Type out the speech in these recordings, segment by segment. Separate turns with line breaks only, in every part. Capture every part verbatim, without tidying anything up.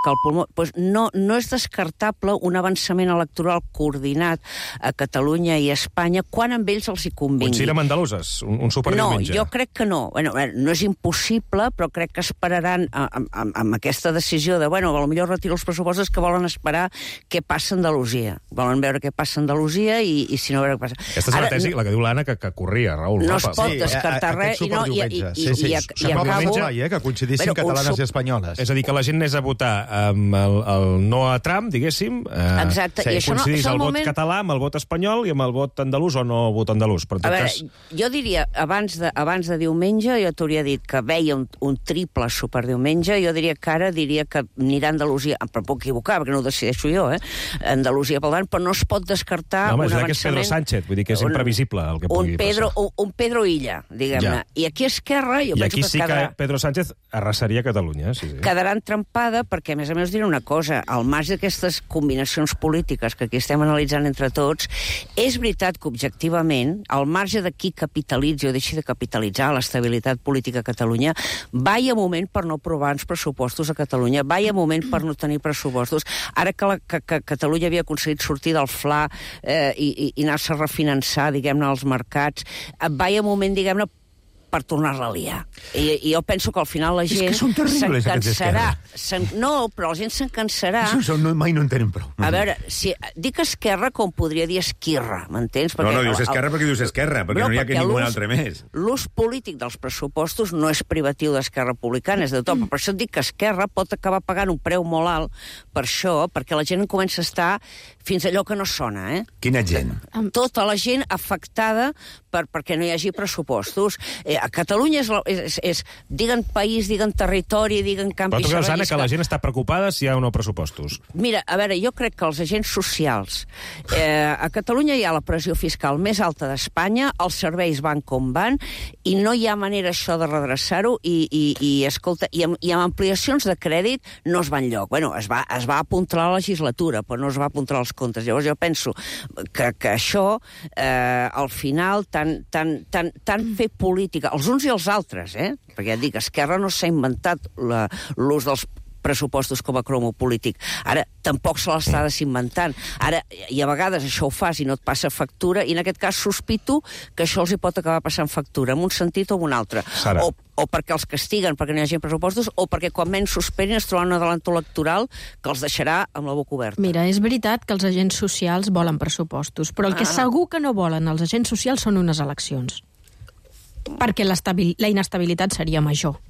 que el pulmó... Pues no, no és descartable un avançament electoral coordinat a Catalunya i a Espanya quan amb ells els hi convingui.
Un cirem andaluses, un, un superdiumenge.
No, jo crec que no. Bueno, no és impossible, però crec que esperaran amb, amb, amb aquesta decisió de, bueno, potser retiro els pressupostos, que volen esperar què passa a Andalusia. Volen veure què passa a Andalusia i, i si no, veure què passa.
Aquesta és una tesi, la que diu l'Anna, que, que corria, Raül.
No es pot sí, descartar res. I, no, i, i, i,
sí, sí.
i, i, i acabo...
Eh, que coincidissin bueno, catalanes sub... i espanyoles.
És a dir, que la gent anés a votar amb el, el no a Trump, diguéssim. Eh,
Exacte.
Sí,
I això
coincidís
no,
el
moment...
vot català amb el vot espanyol i amb el vot andalús o no vot andalús. Per
a veure,
cas...
jo diria, abans de, abans de diumenge, jo t'hauria dit que veia un, un triple superdiumenge, jo diria que ara diria que anirà a Andalusia, però puc equivocar, perquè no ho decideixo jo, eh? Andalusia pel davant, però no es pot descartar
no, home,
un avançament...
que és Pedro Sánchez, vull dir que és
un,
imprevisible el que pugui
un Pedro,
passar.
Un, un Pedro Illa, diguem-ne. Ja. I aquí a Esquerra, jo
I
penso
aquí
que
sí
quedarà...
que Pedro Sánchez arrasaria Catalunya. Sí, sí.
Quedarà entrampada perquè, a més a més, diré una cosa, al marge d'aquestes combinacions polítiques que aquí estem analitzant entre tots, és veritat que, objectivament, al marge de qui capitalitzi o deixi de capitalitzar l'estabilitat política a Catalunya, vaya moment per no aprovar uns pressupostos a Catalunya, vaya moment per no tenir pressupostos. Ara que, la, que, que Catalunya havia aconseguit sortir del Fla eh, i, i, i anar-se a refinançar, diguem-ne, als mercats, vaya moment, diguem-ne, per tornar-la a liar. I, I jo penso que al final la gent s'encansarà. No, però la gent s'encansarà.
Això no, mai no en tenen prou.
A veure, si dic Esquerra com podria dir Esquirra, m'entens?
No, no, dius Esquerra perquè dius Esquerra, perquè no, no hi ha que ningú altre més.
L'ús polític dels pressupostos no és privatiu d'Esquerra Republicana, és de tot. Per això et dic que Esquerra pot acabar pagant un preu molt alt per això, perquè la gent comença a estar fins allò que no sona, eh?
Quina gent?
Tota la gent afectada per, perquè no hi hagi pressupostos. Eh, a Catalunya és, és, és diguen país, diguen territori, diguen camp...
Però tu creus, Anna, que la gent està preocupada si hi ha o no pressupostos?
Mira, a veure, jo crec que els agents socials... Eh, a Catalunya hi ha la pressió fiscal més alta d'Espanya, els serveis van com van, i no hi ha manera això de redreçar-ho, i, i, i escolta, i amb, i amb ampliacions de crèdit no es va enlloc. Bueno, es va, es va apuntar la legislatura, però no es va apuntar els comptes. Llavors jo penso que, que això, eh, al final, tant, tant, tant, tant fer política, els uns i els altres, eh? Perquè ja et dic, Esquerra no s'ha inventat l'ús dels pressupostos com a cromo polític. Ara, tampoc se l'està desinventant. Ara, i a vegades això ho fas i no et passa factura, i en aquest cas sospito que això els hi pot acabar passant factura, en un sentit o en un altre.
Sara.
O, o perquè els castiguen perquè no hi hagi pressupostos, o perquè quan menys s'esperin es troben un adelanto electoral que els deixarà amb la boca oberta.
Mira, és veritat que els agents socials volen pressupostos, però el que
Ah.
segur que no volen els agents socials són unes eleccions. Perquè la inestabilitat seria major.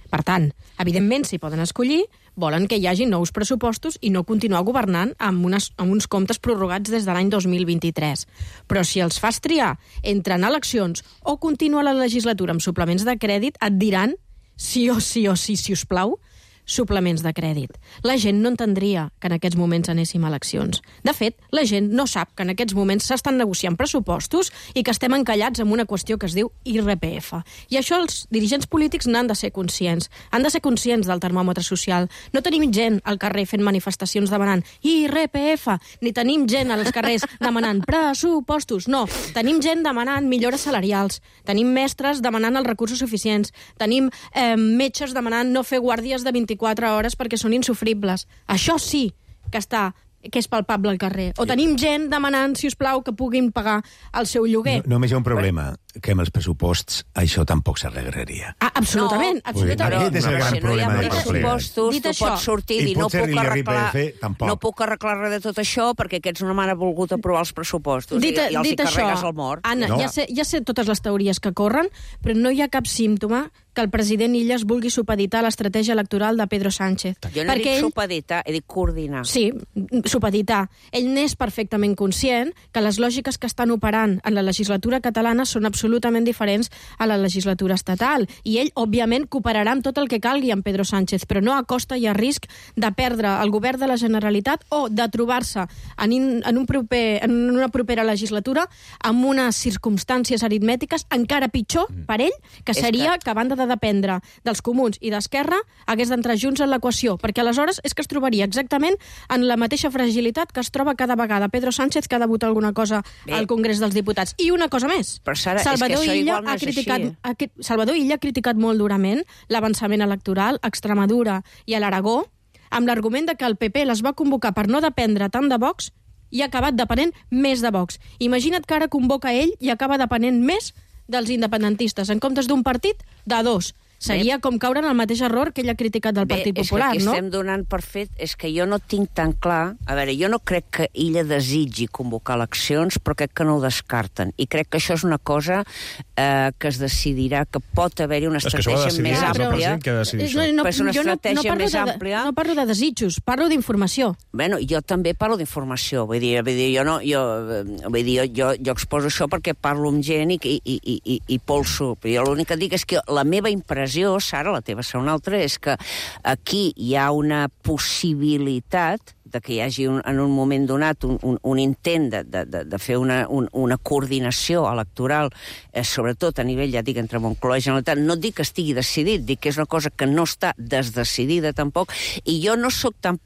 Per tant, evidentment, si poden escollir, volen que hi hagi nous pressupostos i no continuar governant amb, unes, amb uns comptes prorrogats des de l'any dos mil vint-i-tres. Però si els fas triar entre anar a eleccions o continuar la legislatura amb suplements de crèdit, et diran, sí o sí o sí, si us plau, suplements de crèdit. La gent no entendria que en aquests moments anéssim a eleccions. De fet, la gent no sap que en aquests moments s'estan negociant pressupostos i que estem encallats amb una qüestió que es diu I R P F. I això els dirigents polítics n'han de ser conscients. Han de ser conscients del termòmetre social. No tenim gent al carrer fent manifestacions demanant I R P F, ni tenim gent als carrers demanant pressupostos. No, tenim gent demanant millores salarials, tenim mestres demanant els recursos suficients, tenim eh, metges demanant no fer guàrdies de vint-i-quatre hores perquè són insufribles. Això sí que està que és palpable al carrer. O tenim gent demanant, si us plau, que puguin pagar el seu lloguer.
No, només hi ha un problema, que amb els pressuposts això tampoc s'arreglaria.
Ah, absolutament,
no,
absolutament.
Aquest és el gran
si no hi ha
problema del
pressupostos,
Dit
tu
això,
pots sortir i,
i
i no
potser
puc arreglar,
l'I R P F tampoc.
no puc arreglar res de tot això perquè aquests no m'han volgut aprovar els pressupostos
Dit,
i, i els
dit
hi carregues
això,
el mort.
Anna,
No.
ja, sé, ja sé totes les teories que corren, però no hi ha cap símptoma que el president Illas vulgui supeditar l'estratègia electoral de Pedro Sánchez.
Jo no he dit
ell...
supeditar, he dit coordinar.
Sí, supeditar. Ell n'és perfectament conscient que les lògiques que estan operant en la legislatura catalana són absolutament diferents a la legislatura estatal. I ell, òbviament, cooperarà amb tot el que calgui amb Pedro Sánchez, però no a costa i a risc de perdre el govern de la Generalitat o de trobar-se en, in, en, un proper, en una propera legislatura amb unes circumstàncies aritmètiques encara pitjor per ell, que seria que, que a banda de dependre dels comuns i d'Esquerra, hagués d'entrar junts en l'equació, perquè aleshores és que es trobaria exactament en la mateixa fragilitat que es troba cada vegada Pedro Sánchez, que ha de votar alguna cosa Bé. al Congrés dels Diputats. I una cosa més.
Però, Sara,
Salvador
és que això
Illa
igual no
ha
és
criticat,
així.
ha, Salvador Illa ha criticat molt durament l'avançament electoral a Extremadura i a l'Aragó, amb l'argument de que el P P les va convocar per no dependre tant de Vox i ha acabat depenent més de Vox. Imagina't que ara convoca ell i acaba depenent més dels independentistes. En comptes d'un partit, de dos. Seria com caure en el mateix error que ell ha criticat del Partit
Bé,
Popular,
és que
no?
estem donant per fet, és que jo no tinc tan clar... A veure, jo no crec que ella desitgi convocar eleccions, però crec que no ho descarten. I crec que això és una cosa eh, que es decidirà, que pot haver-hi una estratègia més àmplia.
Que decidir
no, no,
és una
jo no,
estratègia
no parlo
més
de,
àmplia.
No parlo de desitjos, parlo d'informació.
Bueno, jo també parlo d'informació, vull dir, vull dir, jo no, jo, vull dir, jo, jo, jo exposo això perquè parlo amb gent i, i, i, i, i polso. Jo l'únic que dic és que la meva impressió, Sara, la teva ser una altra, és que aquí hi ha una possibilitat de que hi hagi un, en un moment donat un, un, un intent de, de, de fer una, un, una coordinació electoral, eh, sobretot a nivell, ja dic, entre Moncloa i Generalitat. No dic que estigui decidit, dic que és una cosa que no està desdecidida tampoc, i jo no sóc tan...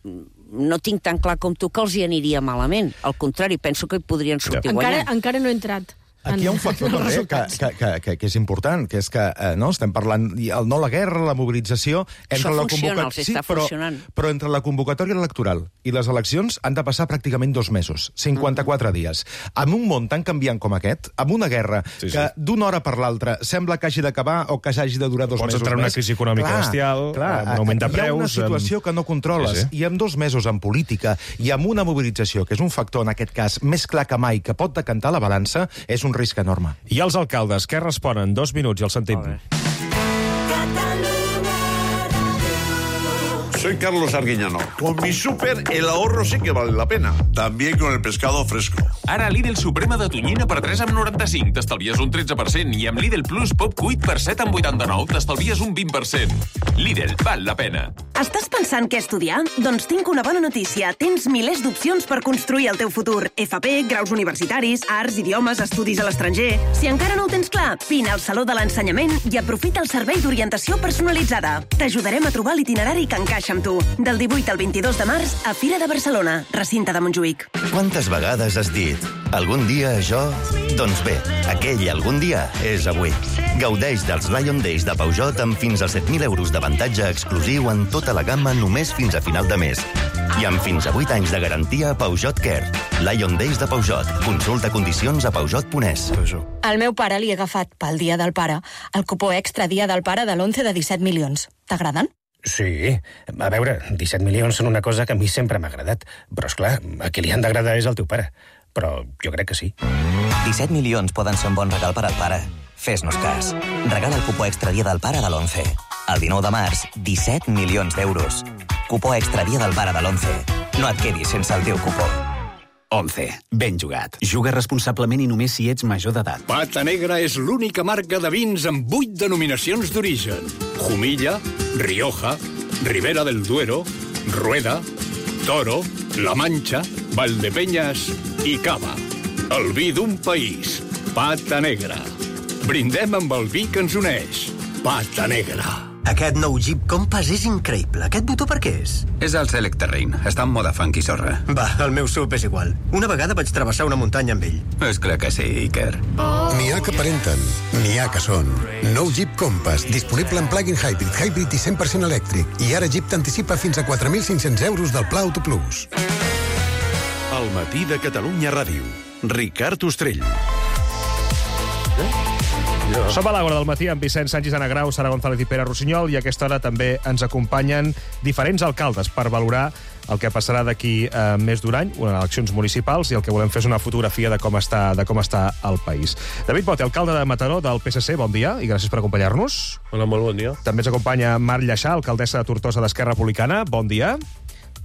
no tinc tan clar com tu que els hi aniria malament. Al contrari, penso que hi podrien sortir
encara,
guanyant.
encara no he entrat.
Aquí hi ha un factor també que, que, que, que, que és important, que és que eh, no, estem parlant, el, no la guerra, la mobilització...
Això
la
funciona, els està
sí, però,
funcionant.
Però entre la convocatòria electoral i les eleccions han de passar pràcticament dos mesos, cinquanta-quatre dies. En un món tan canviant com aquest, amb una guerra sí, sí. que d'una hora per l'altra sembla que hagi d'acabar o que hagi de durar dos
Pots
mesos
entrar en una
més.
crisi econòmica
clar,
bestial,
clar,
amb un augment de preus...
Hi ha una situació amb... que no controles, sí, sí. i amb dos mesos en política i amb una mobilització, que és un factor, en aquest cas, més clar que mai, que pot decantar la balança, és un risc enorme.
I els alcaldes, què responen? Dos minuts i el sentim.
Soy Carlos Arguiñano. Con mi súper, el ahorro sí que vale la pena. También con el pescado fresco.
Ara Lidl Suprema de tonyina per tres coma noranta-cinc t'estalvies un tretze per cent i amb Lidl Plus Pop cuit per set coma vuitanta-nou t'estalvies un vint per cent. Lidl, val la pena.
Estàs pensant què estudiar? Doncs tinc una bona notícia. Tens milers d'opcions per construir el teu futur. F P, graus universitaris, arts, idiomes, estudis a l'estranger... Si encara no ho tens clar, vine al Saló de l'Ensenyament i aprofita el servei d'orientació personalitzada. T'ajudarem a trobar l'itinerari que encaixa amb tu. Del divuit al vint-i-dos de març a Fira de Barcelona, recinte de Montjuïc.
Quantes vegades has dit algun dia això? Doncs bé, aquell algun dia és avui. Gaudeix dels Lion Days de Peugeot amb fins a set mil euros d'avantatge exclusiu en tota la gamma només fins a final de mes. I amb fins a vuit anys de garantia a Peugeot Care. Lion Days de Peugeot. Consulta condicions a peugeot punt es.
Al meu pare li he agafat, pel dia del pare, el cupó extra dia del pare de l'onze de disset milions. T'agraden?
Sí. A veure, disset milions són una cosa que a mi sempre m'ha agradat. Però, esclar, a qui li han d'agradar és el teu pare. Però jo crec que sí.
disset milions poden ser un bon regal per al pare. Fes-nos cas. Regala el cupó extra dia del pare de l'onze. El dinou de març, disset milions d'euros. Cupó extra dia del pare de l'onze. No et quedis sense el teu cupó.
onze. Ben jugat. Juga responsablement i només si ets major d'edat.
Pata Negra és l'única marca de vins amb vuit denominacions d'origen. Jumilla, Rioja, Ribera del Duero, Rueda, Toro, La Mancha, Valdepeñas i Cava. El vi d'un país. Pata Negra. Brindem amb el vi que ens uneix. Pata Negra.
Aquest nou Jeep Compass és increïble. Aquest botó per què és?
És el Select Terrain. Està en moda funky sorra.
Va, el meu sub és igual. Una vegada vaig travessar una muntanya amb ell.
És clar que sí, Iker.
N'hi ha que aparenten, n'hi ha que són. Nou Jeep Compass, disponible en plug-in hybrid, hybrid i cent per cent elèctric. I ara Jeep t'anticipa fins a quatre mil cinc-cents euros del Pla Auto Plus.
El matí de Catalunya Ràdio. Ricard Ostrell.
Som a l'Àgora del matí amb Vicent Sánchez, Ana Grau, Sara González i Pere Rossinyol, i a aquesta hora també ens acompanyen diferents alcaldes per valorar el que passarà d'aquí eh, més d'un any, unes eleccions municipals, i el que volem fer és una fotografia de com està, de com està el país. David Bote, alcalde de Mataró, del P S C, bon dia, i gràcies per acompanyar-nos.
Hola, molt bon dia.
També ens acompanya Mar Lleixà, alcaldessa de Tortosa d'Esquerra Republicana, bon dia.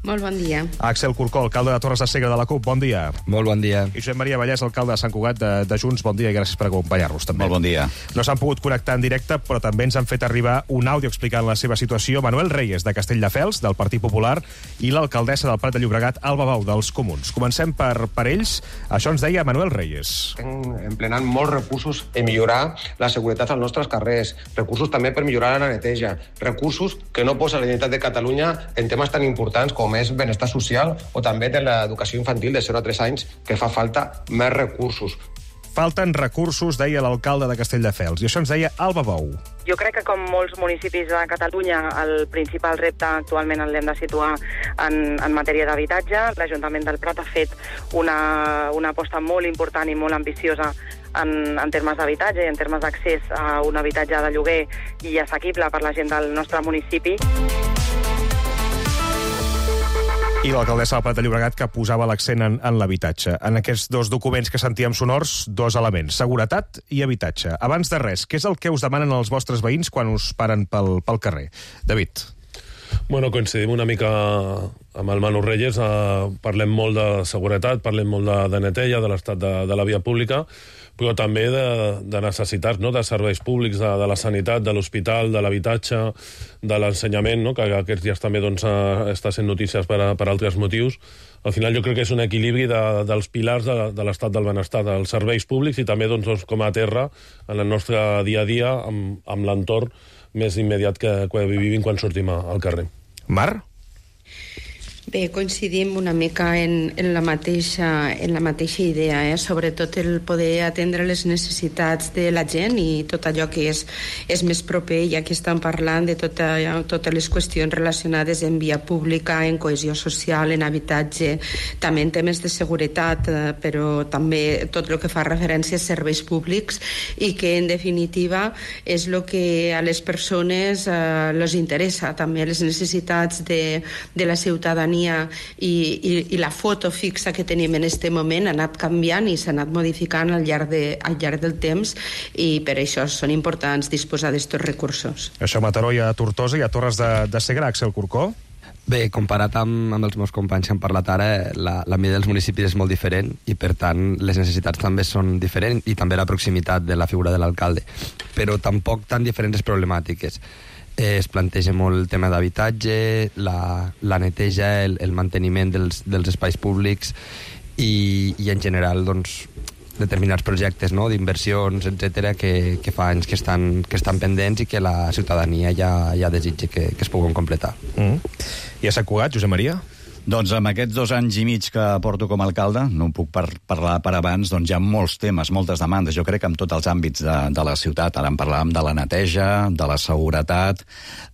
Molt bon dia.
Axel Corcó, alcalde de Torres de Segre de la CUP, bon dia.
Molt bon dia.
I Josep Maria Vallès, alcalde de Sant Cugat de, de Junts, bon dia i gràcies per acompanyar-nos també.
Molt bon dia.
No s'han pogut connectar en directe, però també ens han fet arribar un àudio explicant la seva situació Manuel Reyes, de Castelldefels, del Partit Popular, i l'alcaldessa del Prat de Llobregat, Alba Bau, dels Comuns. Comencem per, per ells. Això ens deia Manuel Reyes.
Estem emplenant molts recursos en millorar la seguretat als nostres carrers, recursos també per millorar la neteja, recursos que no posa la Generalitat de Catalunya en temes tan importants com és benestar social o també de l'educació infantil de zero a tres anys, que fa falta més recursos.
Falten recursos, deia l'alcalde de Castelldefels, i això ens deia Alba Bou.
Jo crec que, com molts municipis de Catalunya, el principal repte actualment l'hem de situar en, en matèria d'habitatge. L'Ajuntament del Prat ha fet una, una aposta molt important i molt ambiciosa en, en termes d'habitatge i en termes d'accés a un habitatge de lloguer i assequible per la gent del nostre municipi.
I l'alcaldessa del Prat de Llobregat que posava l'accent en, en l'habitatge. En aquests dos documents que sentíem sonors, dos elements, seguretat i habitatge. Abans de res, què és el que us demanen els vostres veïns quan us paren pel, pel carrer? David.
Bueno, coincidim una mica amb el Manu Reyes, eh, parlem molt de seguretat, parlem molt de, de neteja, de l'estat de, de la via pública, però també de, de necessitats, no?, de serveis públics, de, de la sanitat, de l'hospital, de l'habitatge, de l'ensenyament, no?, que aquests dies també doncs, està sent notícies per, a, per altres motius. Al final jo crec que és un equilibri de, dels pilars de, de l'estat del benestar, dels serveis públics i també doncs, com a terra en el nostre dia a dia amb, amb l'entorn més immediat que, que vivim quan sortim al carrer.
Mar?
Bé, coincidim una mica en, en, la mateixa, en la mateixa idea, eh? Sobretot el poder atendre les necessitats de la gent i tot allò que és, és més proper, ja que estan parlant de tota, totes les qüestions relacionades en via pública, en cohesió social, en habitatge, també en temes de seguretat, eh, però també tot el que fa referència a serveis públics i que, en definitiva, és el que a les persones eh, les interessa, també les necessitats de, de la ciutadania i, i, i la foto fixa que tenim en aquest moment ha anat canviant i s'ha anat modificant al llarg, de, al llarg del temps i per això són importants disposar d'estos recursos.
Això a Mataró i a Tortosa i a Torres de, de Segre, Axel Corcó?
Bé, comparat amb, amb els meus companys que han parlat ara, la, la mida dels municipis és molt diferent i, per tant, les necessitats també són diferents i també la proximitat de la figura de l'alcalde. Però tampoc tan diferents problemàtiques. Eh, es planteja molt el tema d'habitatge, la, la neteja, el, el manteniment dels, dels espais públics i, i en general, doncs, determinats projectes, no?, d'inversions, etcètera, que, que fa anys que estan, que estan pendents i que la ciutadania ja, ja desitja que, que es puguin completar.
Mm. I a Sant Cugat, Josep Maria?
Doncs amb aquests dos anys i mig que porto com a alcalde, no en puc par parlar per abans, doncs hi ha molts temes, moltes demandes, jo crec que en tots els àmbits de, de la ciutat. Ara en parlàvem de la neteja, de la seguretat.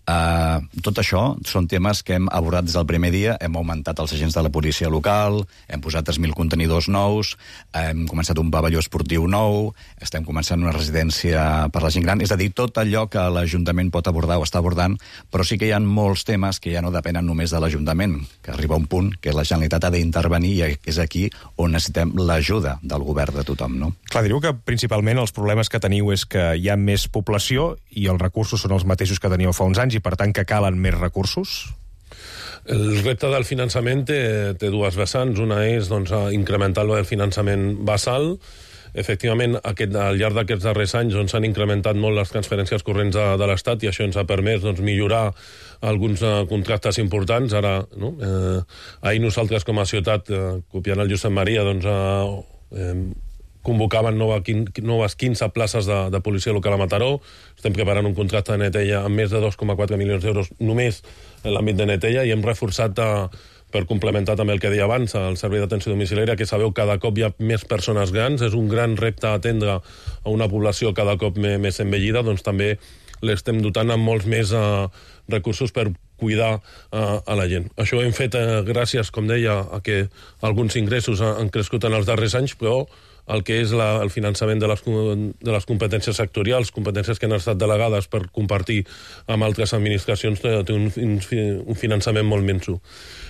Uh, tot això són temes que hem abordat des del primer dia. Hem augmentat els agents de la policia local, hem posat tres mil contenidors nous, hem començat un pavelló esportiu nou, estem començant una residència per la gent gran. És a dir, tot allò que l'Ajuntament pot abordar o està abordant, però sí que hi ha molts temes que ja no depenen només de l'Ajuntament, que arriba un punt que la Generalitat ha d'intervenir i és aquí on necessitem l'ajuda del govern de tothom, no?
Clar, diríeu que principalment els problemes que teniu és que hi ha més població i els recursos són els mateixos que teníeu fa uns anys i per tant que calen més recursos?
El repte del finançament té, té dues vessants. Una és doncs, incrementar el finançament basal. Efectivament, aquest, al llarg d'aquests darrers anys s'han doncs, incrementat molt les transferències corrents de, de l'Estat i això ens ha permès doncs, millorar alguns uh, contractes importants. Ara, no? eh, ahir nosaltres com a ciutat, eh, copiant el Josep Maria, doncs, eh, eh, convocaven nova, noves quinze places de, de policia local a Mataró. Estem preparant un contracte de neteja amb més de dos coma quatre milions d'euros només en l'àmbit de neteja i hem reforçat a, per complementar també el que deia abans, el servei d'atenció domiciliària, que sabeu cada cop hi ha més persones grans, és un gran repte atendre a una població cada cop més envellida, doncs també l'estem dotant amb molts més uh, recursos per cuidar uh, a la gent. Això ho hem fet uh, gràcies, com deia, a que alguns ingressos han crescut en els darrers anys, però el que és la, el finançament de les, de les competències sectorials, competències que han estat delegades per compartir amb altres administracions, té, té un, un finançament molt minso.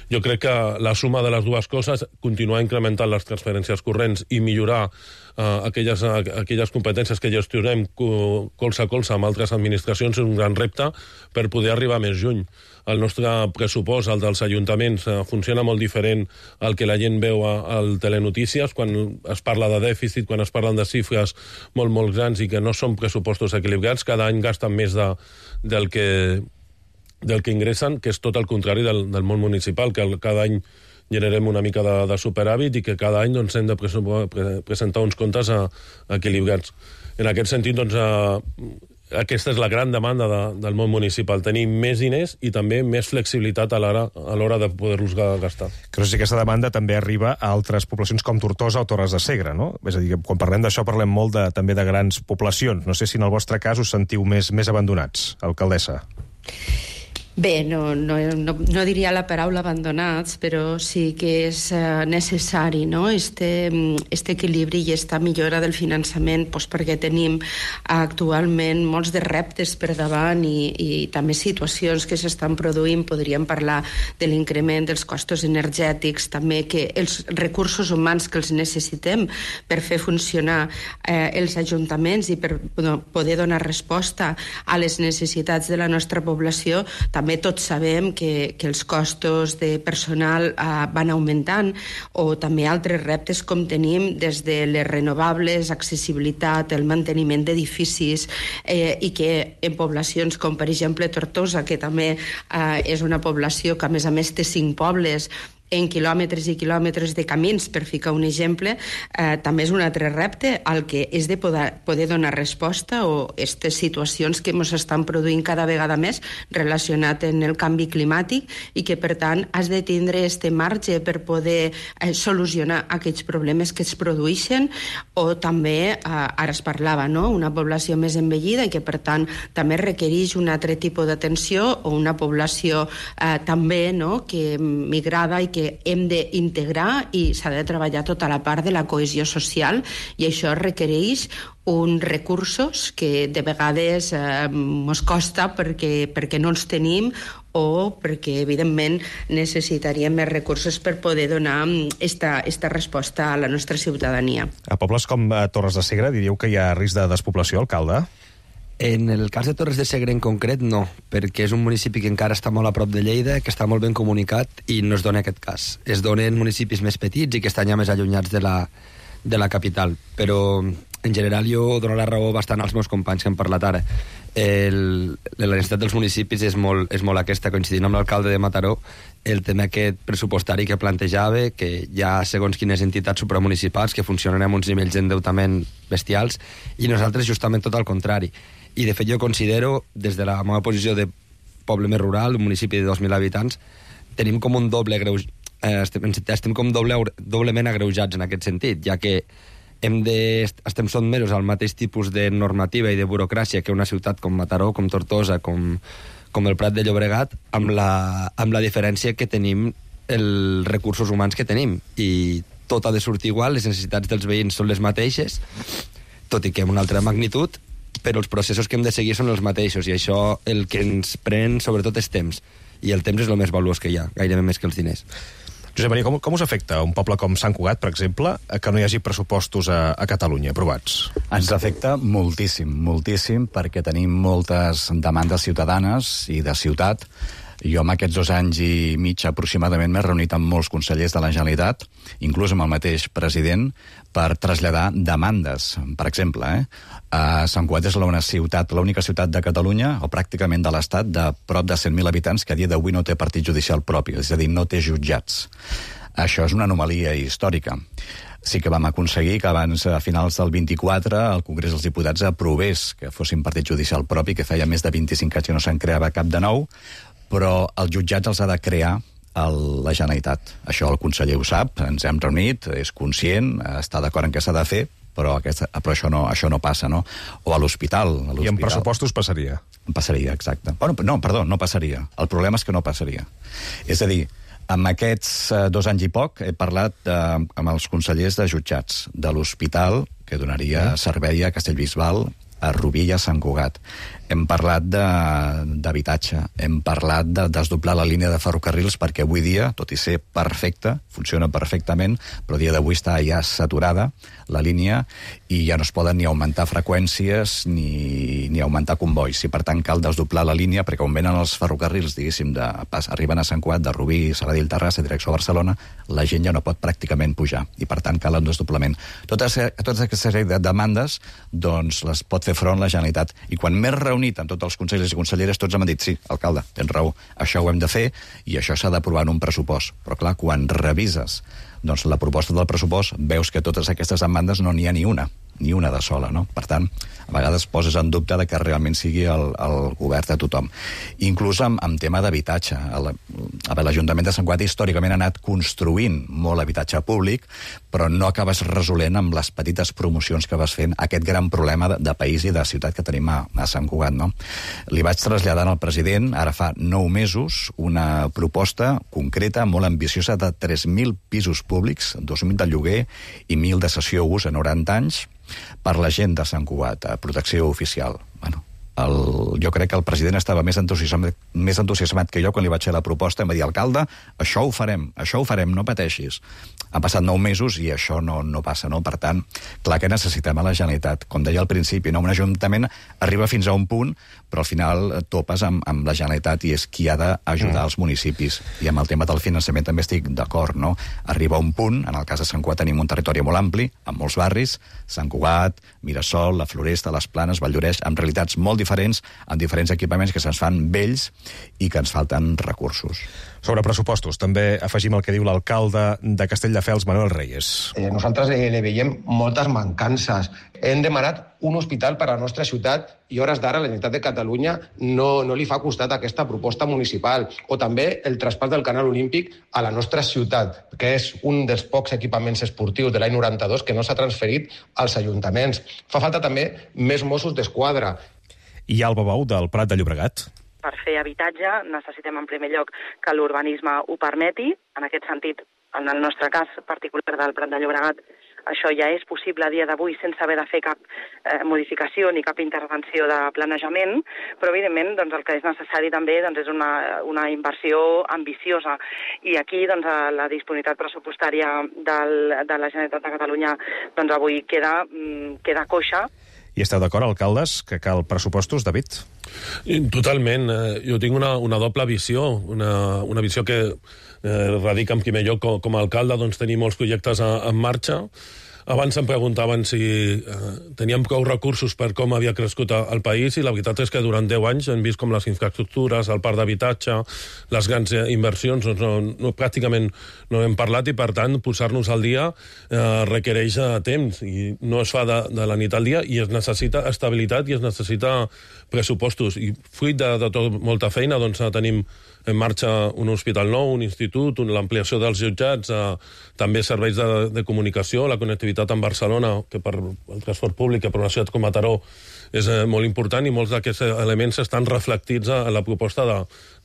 Jo crec que la suma de les dues coses, continuar incrementant les transferències corrents i millorar uh, aquelles, uh, aquelles competències que gestionem colze a colze amb altres administracions és un gran repte per poder arribar més lluny. El nostre pressupost, el dels ajuntaments, uh, funciona molt diferent al que la gent veu a, al Telenotícies, quan es parla de dèficit, quan es parlen de xifres molt, molt grans i que no són pressupostos equilibrats, cada any gasten més de, del que del que ingressen, que és tot el contrari del, del món municipal, que el, cada any generem una mica de, de superàvit i que cada any doncs, hem de pre presentar uns comptes a, a equilibrats. En aquest sentit, doncs, a, aquesta és la gran demanda de, del món municipal, tenir més diners i també més flexibilitat a l'hora a l'hora de poder-los gastar.
Que no sé si aquesta demanda també arriba a altres poblacions com Tortosa o Torres de Segre, no? És a dir, quan parlem d'això parlem molt de, també de grans poblacions. No sé si en el vostre cas us sentiu més, més abandonats, alcaldessa.
Bé, no, no, no, no diria la paraula abandonats, però sí que és uh, necessari, no?, este, este equilibri i esta millora del finançament, doncs perquè tenim actualment molts de reptes per davant i, i també situacions que s'estan produint. Podríem parlar de l'increment dels costos energètics, també que els recursos humans que els necessitem per fer funcionar eh, els ajuntaments i per no, poder donar resposta a les necessitats de la nostra població. També tots sabem que, que els costos de personal eh, van augmentant, o també altres reptes com tenim des de les renovables, accessibilitat, el manteniment d'edificis, eh, i que en poblacions com per exemple Tortosa, que també eh, és una població que a més a més té cinc pobles, en quilòmetres i quilòmetres de camins, per ficar un exemple, eh, també és un altre repte al que és de poder, poder donar resposta a aquestes situacions que ens estan produint cada vegada més relacionat amb el canvi climàtic i que, per tant, has de tindre este marge per poder eh, solucionar aquests problemes que es produeixen, o també, eh, ara es parlava, no?, una població més envellida i que, per tant, també requereix un altre tipus d'atenció, o una població eh, també, no?, que migrada i que hem d'integrar, i s'ha de treballar tota la part de la cohesió social, i això requereix uns recursos que de vegades eh, ens costa perquè, perquè no els tenim, o perquè, evidentment, necessitaríem més recursos per poder donar esta, esta resposta a la nostra ciutadania.
A pobles com a Torres de Segre diríeu que hi ha risc de despoblació, alcalde?
En el cas de Torres de Segre en concret, no, perquè és un municipi que encara està molt a prop de Lleida, que està molt ben comunicat, i no es dona aquest cas. Es donen municipis més petits i que estan ja més allunyats de la, de la capital. Però, en general, jo dono la raó bastant als meus companys que han parlat ara. El, la necessitat dels municipis és molt, és molt aquesta. Coincidint amb l'alcalde de Mataró, el tema aquest pressupostari que plantejava, que hi ha segons quines entitats supramunicipals que funcionen amb uns nivells d'endeutament bestials, i nosaltres justament tot al contrari. I, de fet, jo considero, des de la meva posició de poble més rural, un municipi de dos mil habitants, tenim com un doble greuj... eh, estem, estem com doble, doblement agreujats en aquest sentit, ja que hem de, estem sotmesos al mateix tipus de normativa i de burocràcia que una ciutat com Mataró, com Tortosa, com, com el Prat de Llobregat, amb la, amb la diferència que tenim els recursos humans que tenim. I tot ha de sortir igual, les necessitats dels veïns són les mateixes, tot i que amb una altra magnitud, però els processos que hem de seguir són els mateixos, i això el que ens pren sobretot és temps, i el temps és el més valuós que hi ha, gairebé més que els diners.
Josep Maria, com, com us afecta un poble com Sant Cugat, per exemple, que no hi hagi pressupostos a, a Catalunya aprovats?
Ens afecta moltíssim, moltíssim, perquè tenim moltes demandes ciutadanes i de ciutat. Jo en aquests dos anys i mig aproximadament m'he reunit amb molts consellers de la Generalitat, inclús amb el mateix president, per traslladar demandes. Per exemple, eh, a Sant Cugat és l'única ciutat, l'única ciutat de Catalunya, o pràcticament de l'Estat, de prop de cent mil habitants, que a dia d'avui no té partit judicial propi, és a dir, no té jutjats. Això és una anomalia històrica. Sí que vam aconseguir que abans, a finals del vint-i-quatre, el Congrés dels Diputats aprovés que fossin partit judicial propi, que feia més de vint-i-cinc anys que no se'n creava cap de nou, però els jutjats els ha de crear el, la Generalitat. Això el conseller ho sap, ens hem reunit, és conscient, està d'acord en què s'ha de fer, però, aquesta, però això, no, això no passa, no? O a l'hospital.
I en pressupostos passaria?
Passaria, exacte. Bueno, no, perdó, no passaria. El problema és que no passaria. És a dir, amb aquests eh, dos anys i poc he parlat eh, amb els consellers de jutjats de l'hospital, que donaria mm. servei a Castellbisbal, a Rubí i a Sant Cugat. Hem parlat d'habitatge, hem parlat de desdoblar la línia de ferrocarrils, perquè avui dia, tot i ser perfecta, funciona perfectament, però a dia d'avui està ja saturada la línia i ja no es poden ni augmentar freqüències ni, ni augmentar convois. I per tant cal desdoblar la línia, perquè on venen els ferrocarrils, diguéssim, de, pas, arriben a Sant Cugat, de Rubí, Sabadell, Terrassa, direcció a Barcelona, la gent ja no pot pràcticament pujar, i per tant cal un desdoblament. Totes, totes aquestes sèrie de demandes doncs les pot fer front la Generalitat. I quan m'he reunit amb tots els consellers i conselleres, tots m'han dit, sí, alcalde, tens raó, això ho hem de fer i això s'ha d'aprovar en un pressupost. Però clar, quan revises doncs, la proposta del pressupost, veus que totes aquestes demandes no n'hi ha ni una. ni una de sola, no? Per tant, a vegades poses en dubte de que realment sigui el, el govern de tothom. Inclús amb, amb tema d'habitatge. L'Ajuntament de Sant Cugat històricament ha anat construint molt habitatge públic, però no acabes resolent amb les petites promocions que vas fent aquest gran problema de, de país i de ciutat que tenim a, a Sant Cugat, no? Li vaig traslladar al president, ara fa nou mesos, una proposta concreta, molt ambiciosa, de tres mil pisos públics, dos mil de lloguer i mil de cessió ús a noranta anys, per la gent de Sant Cugat, a protecció oficial. Bueno, el, jo crec que el president estava més entusiasmat, més entusiasmat que jo quan li vaig fer la proposta. Em va dir, alcalde, això ho farem, això ho farem, no pateixis. Han passat nou mesos i això no, no passa, no? Per tant, clar que necessitem a la Generalitat. Com deia al principi, no? Un ajuntament arriba fins a un punt, però al final topes amb, amb la Generalitat i és qui ha d'ajudar mm. els municipis. I amb el tema del finançament també estic d'acord, no? Arriba un punt, en el cas de Sant Cugat tenim un territori molt ampli, amb molts barris, Sant Cugat, Mirasol, la Floresta, les Planes, Valldoreix, amb realitats molt diferents, amb diferents equipaments que se'ns fan vells i que ens falten recursos.
Sobre pressupostos, també afegim el que diu l'alcalde de Castelldefels, Manuel Reyes.
Eh, nosaltres eh, li veiem moltes mancances. Hem demanat un hospital per a la nostra ciutat i hores d'ara la Generalitat de Catalunya no, no li fa costat a aquesta proposta municipal. O també el traspàs del Canal Olímpic a la nostra ciutat, que és un dels pocs equipaments esportius de l'any noranta-dos que no s'ha transferit als ajuntaments. Fa falta també més Mossos d'Esquadra.
I Alba Bou, del Prat de Llobregat.
Per fer habitatge necessitem en primer lloc que l'urbanisme ho permeti. En aquest sentit, en el nostre cas particular del Prat de Llobregat, això ja és possible a dia d'avui sense haver de fer cap eh, modificació ni cap intervenció de planejament, però evidentment doncs, el que és necessari també doncs, és una, una inversió ambiciosa. I aquí doncs, la disponibilitat pressupostària del, de la Generalitat de Catalunya doncs, avui queda, queda coixa.
I esteu d'acord, alcaldes, que cal pressupostos, David?
Totalment. Jo tinc una, una doble visió, una, una visió que eh, radica en primer lloc com, com a alcalde, doncs tenir molts projectes a, en marxa. Abans em preguntaven si eh, teníem prou recursos per com havia crescut el país i la veritat és que durant deu anys hem vist com les infraestructures, el parc d'habitatge, les grans inversions, doncs no, no, pràcticament no hem parlat i per tant posar-nos al dia eh, requereix temps i no es fa de, de la nit al dia i es necessita estabilitat i es necessita pressupostos. I fruit de, de tot molta feina doncs tenim en marxa un hospital nou, un institut, l'ampliació dels jutjats, eh, també serveis de, de comunicació, la connectivitat amb Barcelona, que per el transport públic, que per una ciutat com Mataró és eh, molt important i molts d'aquests elements estan reflectits a, a la proposta de,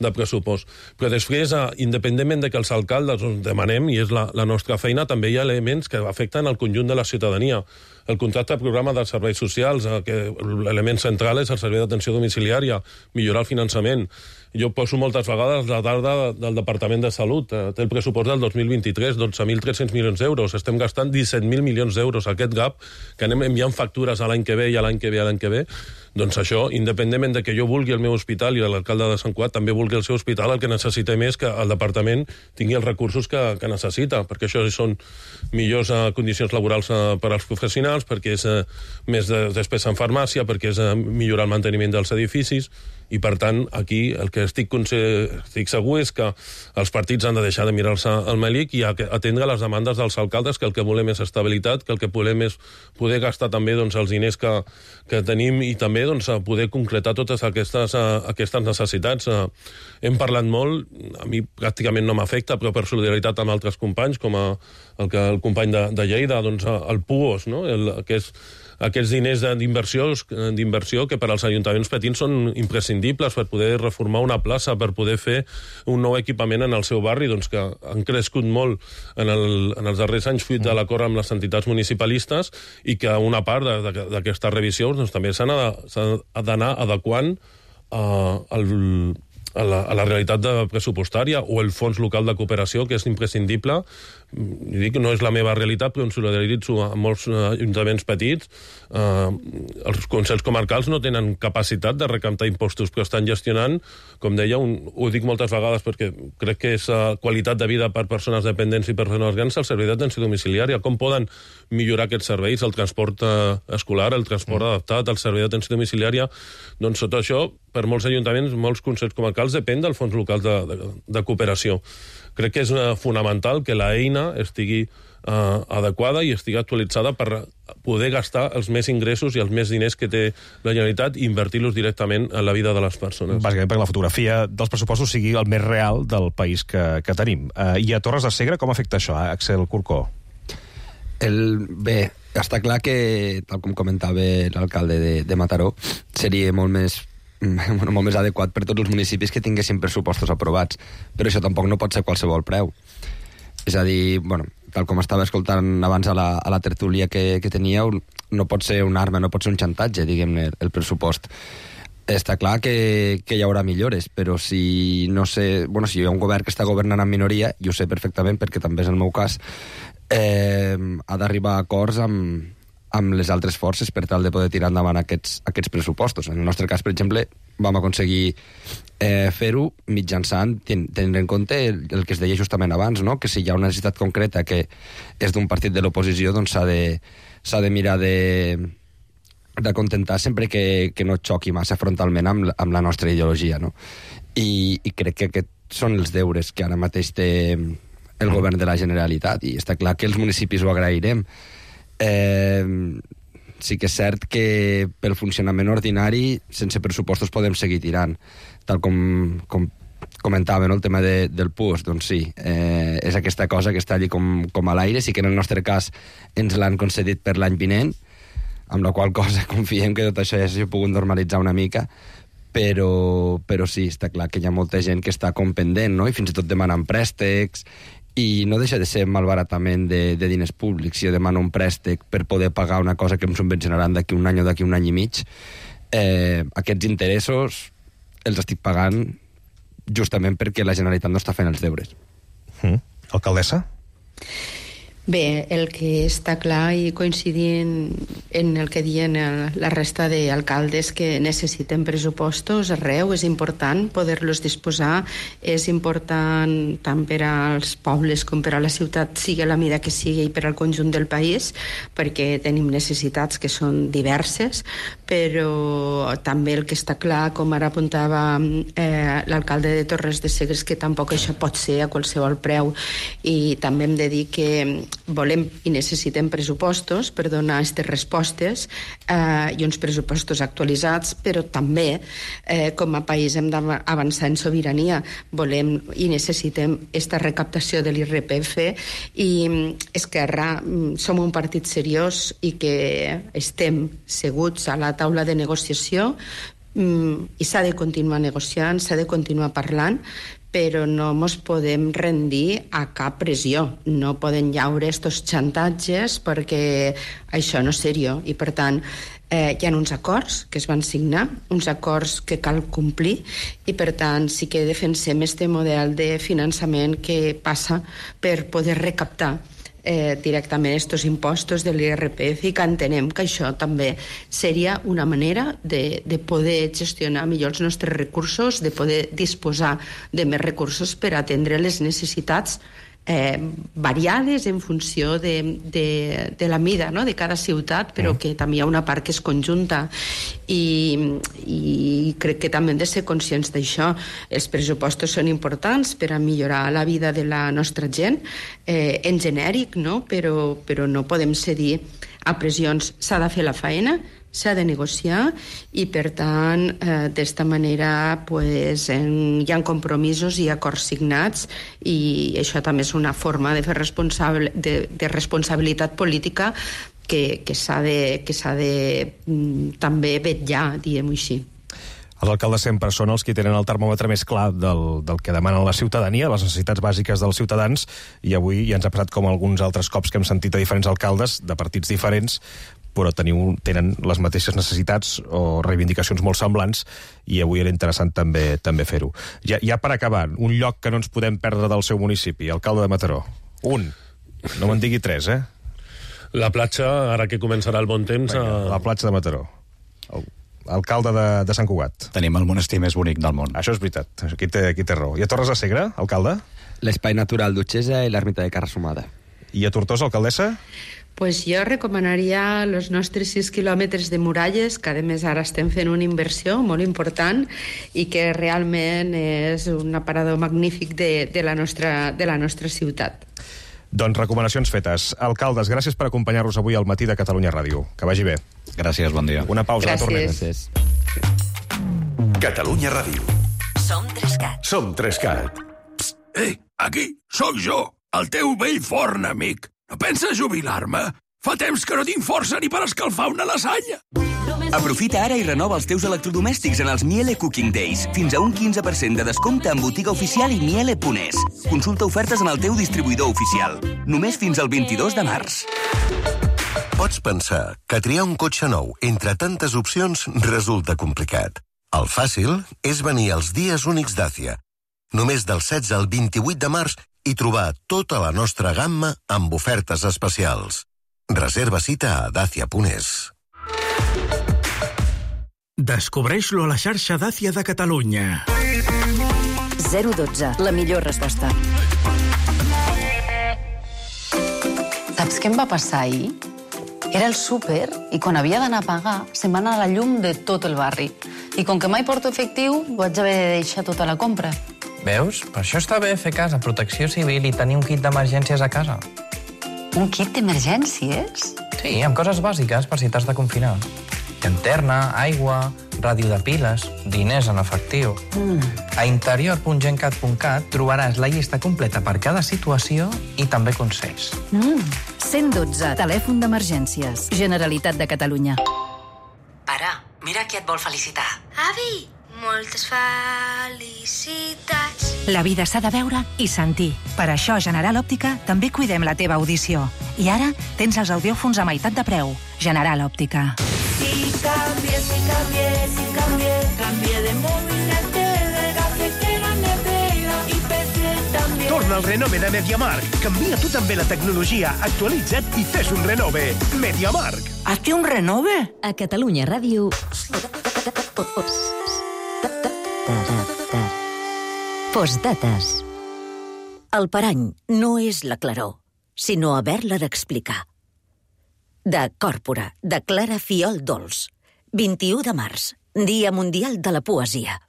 de pressupost. Però després, eh, independentment de que els alcaldes ens demanem, i és la, la nostra feina, també hi ha elements que afecten el conjunt de la ciutadania. El contracte de programa dels serveis socials, eh, que l'element central és el servei d'atenció domiciliària, millorar el finançament. Jo poso moltes vegades la dada del Departament de Salut. Eh, té el pressupost del dos mil vint-i-tres, dotze mil tres-cents milions d'euros. Estem gastant disset mil milions d'euros. Aquest gap, que anem enviant factures a l'any que ve i a l'any que ve a l'any que ve, doncs això, independentment de que jo vulgui el meu hospital i l'alcalde de Sant Cugat també vulgui el seu hospital, el que necessitem és que el departament tingui els recursos que, que necessita, perquè això són millors eh, condicions laborals eh, per als professionals, perquè és eh, més de, despesa en farmàcia, perquè és eh, millorar el manteniment dels edificis, i per tant aquí el que estic, estic segur és que els partits han de deixar de mirar-se al melic i atendre les demandes dels alcaldes, que el que volem és estabilitat, que el que volem és poder gastar també doncs, els diners que, que tenim i també doncs, poder concretar totes aquestes, aquestes necessitats. Hem parlat molt, a mi pràcticament no m'afecta, però per solidaritat amb altres companys, com a, el, que, el company de, de Lleida, doncs, el P U O S, no? el, que és aquests diners d'inversió que per als ajuntaments petits són imprescindibles per poder reformar una plaça, per poder fer un nou equipament en el seu barri, doncs que han crescut molt en, el, en els darrers anys fruit de l'acord amb les entitats municipalistes i que una part d'aquestes revisions doncs, també s'ha d'anar adequant uh, al a la, a la realitat de pressupostària o el fons local de cooperació, que és imprescindible. I dic que no és la meva realitat, però em solidaritzo amb molts ajuntaments petits. Eh, els consells comarcals no tenen capacitat de recaptar impostos, però estan gestionant, com deia, un, ho dic moltes vegades perquè crec que és uh, qualitat de vida per persones dependents i persones grans, el servei d'atenció domiciliària. Com poden millorar aquests serveis, el transport uh, escolar, el transport mm. adaptat, el servei d'atenció domiciliària? Doncs tot això per molts ajuntaments, molts consells comarcals, depèn del fons local de, de, de cooperació. Crec que és uh, fonamental que l'eina estigui uh, adequada i estigui actualitzada per poder gastar els més ingressos i els més diners que té la Generalitat i invertir-los directament en la vida de les persones.
Bàsicament perquè la fotografia dels pressupostos sigui el més real del país que, que tenim. Uh, I a Torres de Segre com afecta això, eh, Axel Corcó?
El, bé, està clar que, tal com comentava l'alcalde de, de Mataró, seria molt més, bueno, molt més adequat per tots els municipis que tinguessin pressupostos aprovats. Però això tampoc no pot ser qualsevol preu. És a dir, bueno, tal com estava escoltant abans a la, a la tertúlia que, que teníeu, no pot ser una arma, no pot ser un xantatge, diguem-ne, el pressupost. Està clar que, que hi haurà millores, però si no sé... Bueno, si hi ha un govern que està governant en minoria, i ho sé perfectament perquè també és el meu cas, eh, ha d'arribar a acords amb, amb les altres forces per tal de poder tirar endavant aquests, aquests pressupostos. En el nostre cas, per exemple, vam aconseguir eh, fer-ho mitjançant, ten, tenint en compte el, el que es deia justament abans, no? Que si hi ha una necessitat concreta que és d'un partit de l'oposició, doncs s'ha de, s'ha de mirar de... de contentar sempre que, que no xoqui massa frontalment amb, amb la nostra ideologia, no? I, i crec que aquests són els deures que ara mateix té el govern de la Generalitat, i està clar que els municipis ho agrairem. Eh, sí que és cert que pel funcionament ordinari, sense pressupostos podem seguir tirant, tal com, com comentava, no? El tema de, del P U S, doncs sí, eh, és aquesta cosa que està allí com, com a l'aire, sí que en el nostre cas ens l'han concedit per l'any vinent, amb la qual cosa confiem que tot això ja s'ha pogut normalitzar una mica, però, però sí, està clar que hi ha molta gent que està com pendent, no? I fins i tot demanen préstecs, i no deixa de ser malbaratament de, de diners públics. Si jo demano un préstec per poder pagar una cosa que em subvencionaran d'aquí un any o d'aquí un any i mig, eh, aquests interessos els estic pagant justament perquè la Generalitat no està fent els deures.
Mm. Alcaldessa?
Bé, el que està clar, i coincidint en el que diuen el, la resta d'alcaldes, que necessiten pressupostos arreu, és important poder-los disposar, és important tant per als pobles com per a la ciutat, sigui la mida que sigui, i per al conjunt del país, perquè tenim necessitats que són diverses, però també el que està clar, com ara apuntava eh, l'alcalde de Torres de Segre, que tampoc això pot ser a qualsevol preu, i també hem de dir que volem i necessitem pressupostos per donar aquestes respostes eh, i uns pressupostos actualitzats, però també eh, com a país hem d'avançar en sobirania. Volem i necessitem aquesta recaptació de l'I R P F, i Esquerra som un partit seriós i que estem seguts a la taula de negociació, i s'ha de continuar negociant, s'ha de continuar parlant, però no ens podem rendir a cap pressió. No poden llaure estos xantatges perquè això no és seriós. I, per tant, eh, hi ha uns acords que es van signar, uns acords que cal complir, i, per tant, sí que defensem este model de finançament que passa per poder recaptar Eh, directament estos impostos de l'I R P F, i que entenem que això també seria una manera de, de poder gestionar millor els nostres recursos, de poder disposar de més recursos per atendre les necessitats eh, variades en funció de, de, de la mida, no?, de cada ciutat, però que també hi ha una part que és conjunta, i, i crec que també hem de ser conscients d'això. Els pressupostos són importants per a millorar la vida de la nostra gent, eh, en genèric, no?, però, però no podem cedir a pressions. S'ha de fer la feina, s'ha de negociar, i, per tant, eh, d'esta manera pues, en, hi ha compromisos i acords signats, i això també és una forma de fer responsable, de, de responsabilitat política que, que s'ha de, que s'ha de mm, també vetllar, diguem-ho així.
Els alcaldes sempre són els que tenen el termòmetre més clar del, del que demanen la ciutadania, les necessitats bàsiques dels ciutadans, i avui ja ens ha passat com alguns altres cops que hem sentit a diferents alcaldes de partits diferents, però teniu, tenen les mateixes necessitats o reivindicacions molt semblants, i avui era interessant també també fer-ho. Ja, ja per acabar, un lloc que no ens podem perdre del seu municipi, alcalde de Mataró. Un. No me'n digui tres, eh?
La platja, ara que començarà el bon temps...
Vinga, a... la platja de Mataró. El alcalde de, de Sant Cugat.
Tenim el monestir més bonic del món.
Això és veritat, aquí té, aquí té raó. I a Torres de Segre, alcalde?
L'espai natural d'Utxesa i l'ermita de Carrasomada.
I a Tortosa, alcaldessa?
Pues jo recomanaria els nostres sis quilòmetres de muralles, que a més ara estem fent una inversió molt important i que realment és un aparador magnífic de, de, la, nostra, de la nostra ciutat.
Doncs recomanacions fetes. Alcaldes, gràcies per acompanyar-nos avui al matí de Catalunya Ràdio. Que vagi bé.
Gràcies, bon dia.
Una pausa,
gràcies.
tornem.
Gràcies.
Catalunya Ràdio.
Som Trescat.
Som Trescat.
Psst, ei, aquí, sóc jo, el teu vell forn amic. No penses jubilar-me? Fa temps que no tinc força ni per escalfar una lasanya.
Aprofita ara i renova els teus electrodomèstics en els Miele Cooking Days. Fins a un quinze per cent de descompte en botiga oficial i miele punt es. Consulta ofertes en el teu distribuïdor oficial. Només fins al vint-i-dos de març.
Pots pensar que triar un cotxe nou entre tantes opcions resulta complicat. El fàcil és venir als dies únics Dacia. Només del setze al vint-i-vuit de març i trobar tota la nostra gamma amb ofertes especials. Reserva cita a dacia punt es.
Descobreix-lo a la xarxa Dacia de Catalunya.
zero dotze, la millor resposta.
Saps què em va passar ahir? Era el súper i quan havia d'anar a pagar se'm va anar la llum de tot el barri. I com que mai porto efectiu, vaig haver de deixar tota la compra.
Veus? Per això està bé fer cas a Protecció Civil i tenir un kit d'emergències a casa.
Un kit d'emergències?
Sí, amb coses bàsiques per si t'has de confinar. Llanterna, aigua, ràdio de piles, diners en efectiu.
Mm.
A interior punt gencat punt cat trobaràs la llista completa per cada situació i també consells.
Mm. cent dotze, telèfon d'emergències. Generalitat de Catalunya.
Pare, mira qui et vol felicitar.
Avi, moltes felicitats.
La vida s'ha de veure i sentir. Per això a General Òptica també cuidem la teva audició. I ara tens els audiòfons a meitat de preu. General Òptica.
Si canvié, si canvié, si canvié, canvié de móvil, de tele, cafetera, nevera i P C també.
Torna al renove de MediaMarkt. Canvia tu també la tecnologia, actualitza't i fes un renove. MediaMarkt.
Hazte un renove?
A Catalunya Ràdio... Postdates. El parany no és la claror, sinó haver-la d'explicar. De Còrpora, de Clara Fiol Dols. vint-i-u de març, Dia Mundial de la Poesia.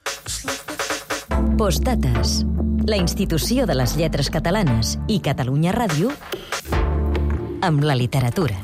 Postdates. La institució de les lletres catalanes i Catalunya Ràdio amb la literatura.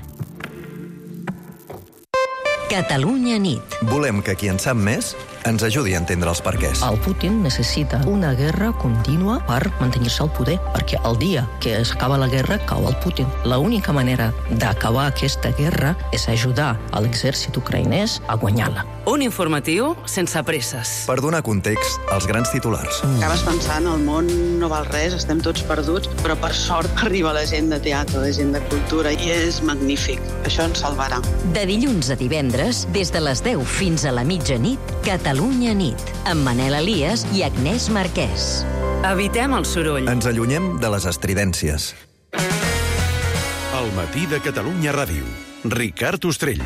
Catalunya nit.
Volem que qui en sap més ens ajudi a entendre els perquès.
El Putin necessita una guerra contínua per mantenir-se al poder, perquè el dia que s'acaba la guerra cau el Putin. L'única manera d'acabar aquesta guerra és ajudar a l'exèrcit ucraïnès a guanyar-la.
Un informatiu sense presses.
Per donar context als grans titulars.
Acabes pensant, el món no val res, estem tots perduts, però per sort arriba la gent de teatre, la gent de cultura, i és magnífic. Això ens salvarà.
De dilluns a divendres, des de les deu fins a la mitjanit, Catalunya nit, amb Manel Elias i Agnès Marquès.
Evitem el soroll.
Ens allunyem de les estridències.
El matí de Catalunya Ràdio. Ricard Ostrell.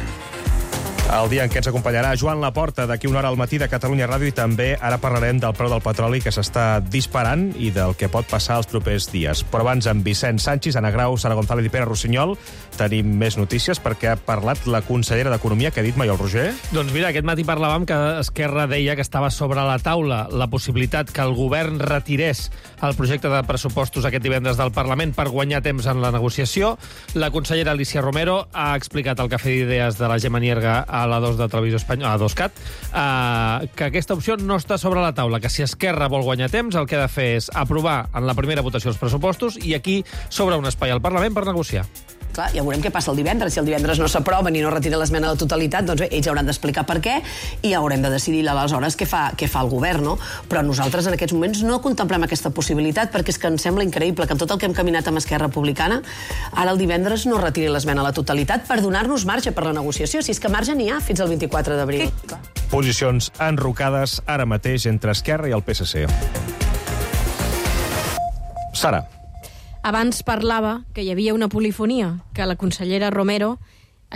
El dia en què ens acompanyarà Joan Laporta d'aquí una hora al matí de Catalunya Ràdio i també ara parlarem del preu del petroli que s'està disparant i del que pot passar els propers dies. Però abans amb Vicent Sanchis, Anna Grau, Sara González i Pere Rossinyol tenim més notícies perquè ha parlat la consellera d'Economia. Què ha dit Maiol Roger?
Doncs mira, aquest matí parlàvem que Esquerra deia que estava sobre la taula la possibilitat que el govern retirés el projecte de pressupostos aquest divendres del Parlament per guanyar temps en la negociació. La consellera Alicia Romero ha explicat al Cafè d'Idees de la Gemma Nierga a la dos de Televisió Espanyola, a dos cat, eh, que aquesta opció no està sobre la taula, que si Esquerra vol guanyar temps, el que ha de fer és aprovar en la primera votació els pressupostos i aquí s'obre un espai al Parlament per negociar.
Clar, ja veurem què passa el divendres. Si el divendres no s'aprova ni no retira l'esmena a la totalitat, doncs bé, ells hauran d'explicar per què i haurem de decidir aleshores què fa, què fa el govern, no? Però nosaltres en aquests moments no contemplem aquesta possibilitat perquè és que ens sembla increïble que en tot el que hem caminat amb Esquerra Republicana ara el divendres no retiri l'esmena a la totalitat per donar-nos marge per la negociació. Si és que marge n'hi ha fins al vint-i-quatre d'abril.
Posicions enrocades ara mateix entre Esquerra i el P S C. Sara.
Abans parlava que hi havia una polifonia, que la consellera Romero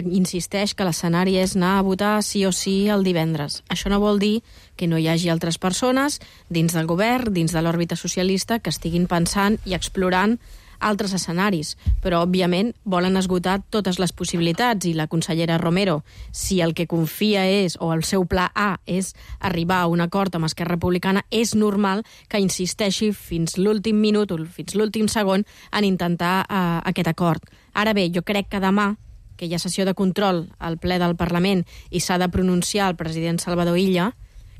insisteix que l'escenari és anar a votar sí o sí el divendres. Això no vol dir que no hi hagi altres persones dins del govern, dins de l'òrbita socialista, que estiguin pensant i explorant altres escenaris, però, òbviament, volen esgotar totes les possibilitats, i la consellera Romero, si el que confia és, o el seu pla A és arribar a un acord amb Esquerra Republicana, és normal que insisteixi fins l'últim minut o fins l'últim segon en intentar uh, aquest acord. Ara bé, jo crec que demà, que hi ha sessió de control al ple del Parlament i s'ha de pronunciar el president Salvador Illa,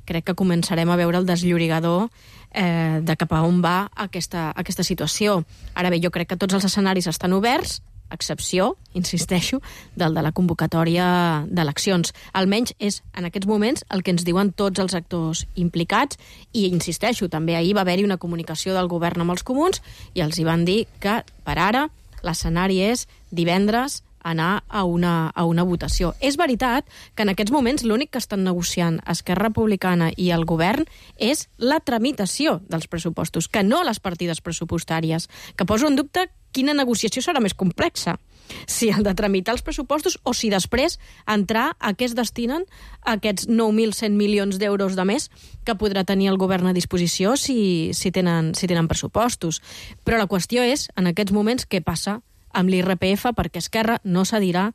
crec que començarem a veure el desllorigador eh, de cap a on va aquesta, aquesta situació. Ara bé, jo crec que tots els escenaris estan oberts, a excepció, insisteixo, del de la convocatòria d'eleccions. Almenys és, en aquests moments, el que ens diuen tots els actors implicats, i insisteixo, també ahir va haver-hi una comunicació del govern amb els comuns i els hi van dir que, per ara, l'escenari és divendres anar a una, a una votació. És veritat que en aquests moments l'únic que estan negociant Esquerra Republicana i el govern és la tramitació dels pressupostos, que no les partides pressupostàries, que poso en dubte quina negociació serà més complexa, si el de tramitar els pressupostos o si després entrar a què es destinen aquests nou mil cent milions d'euros de més que podrà tenir el govern a disposició si, si, tenen, si tenen pressupostos. Però la qüestió és, en aquests moments, què passa amb l'I R P F, perquè Esquerra no cedirà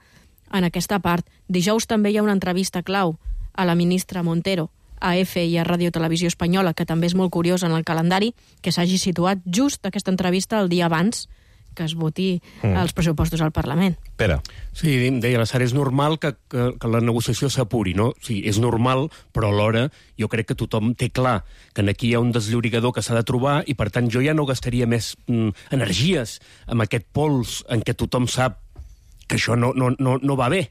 en aquesta part. Dijous també hi ha una entrevista clau a la ministra Montero, a E F i a Ràdio Televisió Espanyola, que també és molt curiós en el calendari, que s'hagi situat just aquesta entrevista el dia abans que es voti mm. els pressupostos al Parlament.
Pere.
Sí, deia la Sara, és normal que, que, que la negociació s'apuri, no? Sí, és normal, però alhora jo crec que tothom té clar que aquí hi ha un desllorigador que s'ha de trobar i, per tant, jo ja no gastaria més mm, energies amb aquest pols en què tothom sap que això no, no, no, no va bé.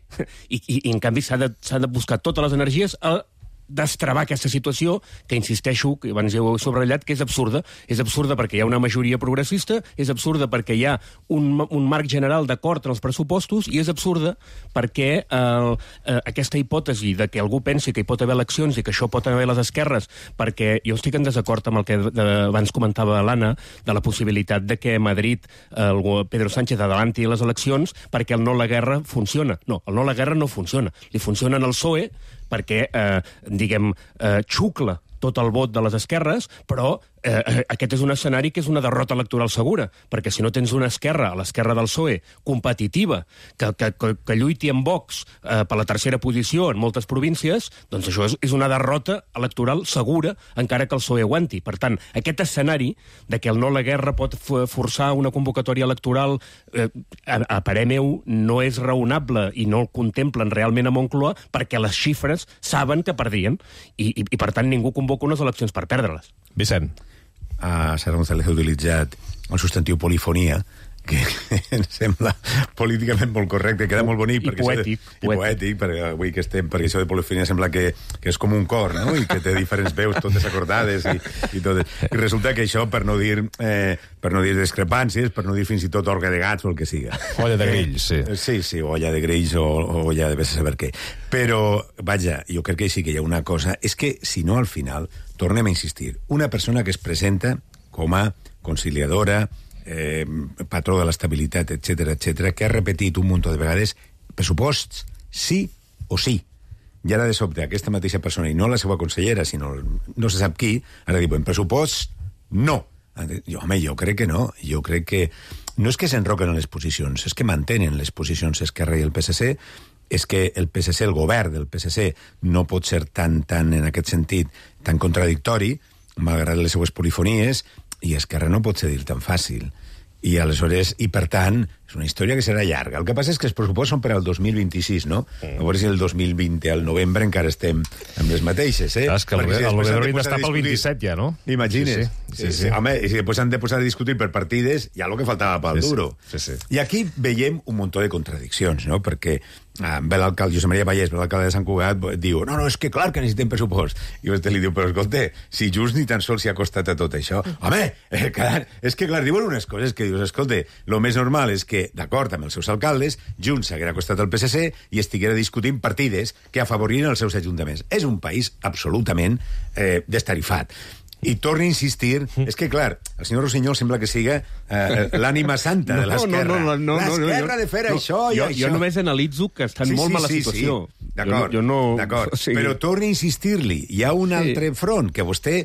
I, i, i en canvi, s'ha de, s'ha de buscar totes les energies a destravar aquesta situació, que insisteixo, que abans ja ho he subratllat, que és absurda. És absurda perquè hi ha una majoria progressista, és absurda perquè hi ha un, un marc general d'acord en els pressupostos, i és absurda perquè eh, eh, aquesta hipòtesi de que algú pensi que hi pot haver eleccions i que això pot haver les esquerres, perquè jo estic en desacord amb el que de, abans comentava l'Anna, de la possibilitat de que a Madrid el Pedro Sánchez adelanti les eleccions perquè el no a la guerra funciona. No, el no a la guerra no funciona. Li funciona en el P S O E perquè, eh, diguem, eh, xucla tot el vot de les esquerres, però eh, aquest és un escenari que és una derrota electoral segura, perquè si no tens una esquerra, a l'esquerra del P S O E, competitiva, que, que, que, que lluiti amb Vox eh, per la tercera posició en moltes províncies, doncs això és, és una derrota electoral segura, encara que el P S O E aguanti. Per tant, aquest escenari de que el no a la guerra pot forçar una convocatòria electoral, eh, a, a parer meu, no és raonable i no el contemplen realment a Moncloa, perquè les xifres saben que perdien, i, i, i per tant ningú convoca unes eleccions per perdre-les.
Vicent.
A Sara González ha utilitzat el substantiu polifonia, que em sembla políticament molt correcte, queda molt bonic.
I poètic.
De, I poètic, perquè avui que estem, perquè això de polifonia sembla que, que és com un cor, no? I que té diferents veus totes acordades i, i totes. I resulta que això, per no dir eh, per no dir discrepàncies, per no dir fins i tot orga de gats o el que siga.
Olla de grills, sí.
Eh, sí, sí, olla de grills o, o olla de vés a saber què. Però, vaja, jo crec que sí que hi ha una cosa, és que, si no, al final, tornem a insistir, una persona que es presenta com a conciliadora, eh, patró de l'estabilitat, etcètera, etcètera, que ha repetit un munt de vegades pressuposts sí o sí. I ara, de sobte, aquesta mateixa persona, i no la seva consellera, sinó no se sap qui, ara diuen pressuposts no. Jo, home, jo crec que no. Jo crec que no és que s'enroquen en les posicions, és que mantenen les posicions Esquerra i el P S C, és que el P S C, el govern del P S C, no pot ser tan, tan en aquest sentit, tan contradictori, malgrat les seues polifonies, i Esquerra no pot cedir tan fàcil. I aleshores, i per tant, és una història que serà llarga. El que passa és que els pressupostos són per al dos mil vint-i-sis, no? Mm. A veure si el dos mil vint, al novembre, encara estem amb les mateixes, eh?
Clar, és que el, si el Vedrolid està pel vint-i-set ja, no?
Imagines.
Sí, sí. Sí, sí.
Sí, home, i si després han de posar a discutir per partides, ja el que faltava pel
sí,
duro.
Sí, sí.
I aquí veiem un munt de contradiccions, no? Perquè ah, ve l'alcalde, Josep Maria Vallès, ve l'alcalde de Sant Cugat, diu, no, no, és que clar que necessitem pressupost. I vostè li diu, però escolta, si just ni tan sols s'hi ha costat a tot això. Home, eh, clar, és que clar, diuen unes coses que dius, escolta, el més normal és que, d'acord amb els seus alcaldes, Junts s'haguera costat al P S C i estiguera discutint partides que afavoririen els seus ajuntaments. És un país absolutament eh, destarifat. I torno a insistir, és que, clar, el senyor Rossinyol sembla que siga eh, l'ànima santa no, de l'esquerra.
No, no, no, no,
l'esquerra
no,
de fer
no,
això i
jo,
això.
Jo només analitzo que estan
sí,
molt
sí,
mala
sí,
situació.
Sí. D'acord,
jo no...
d'acord.
O sigui...
Però torni a insistir-li. Hi ha un altre sí. front que vostè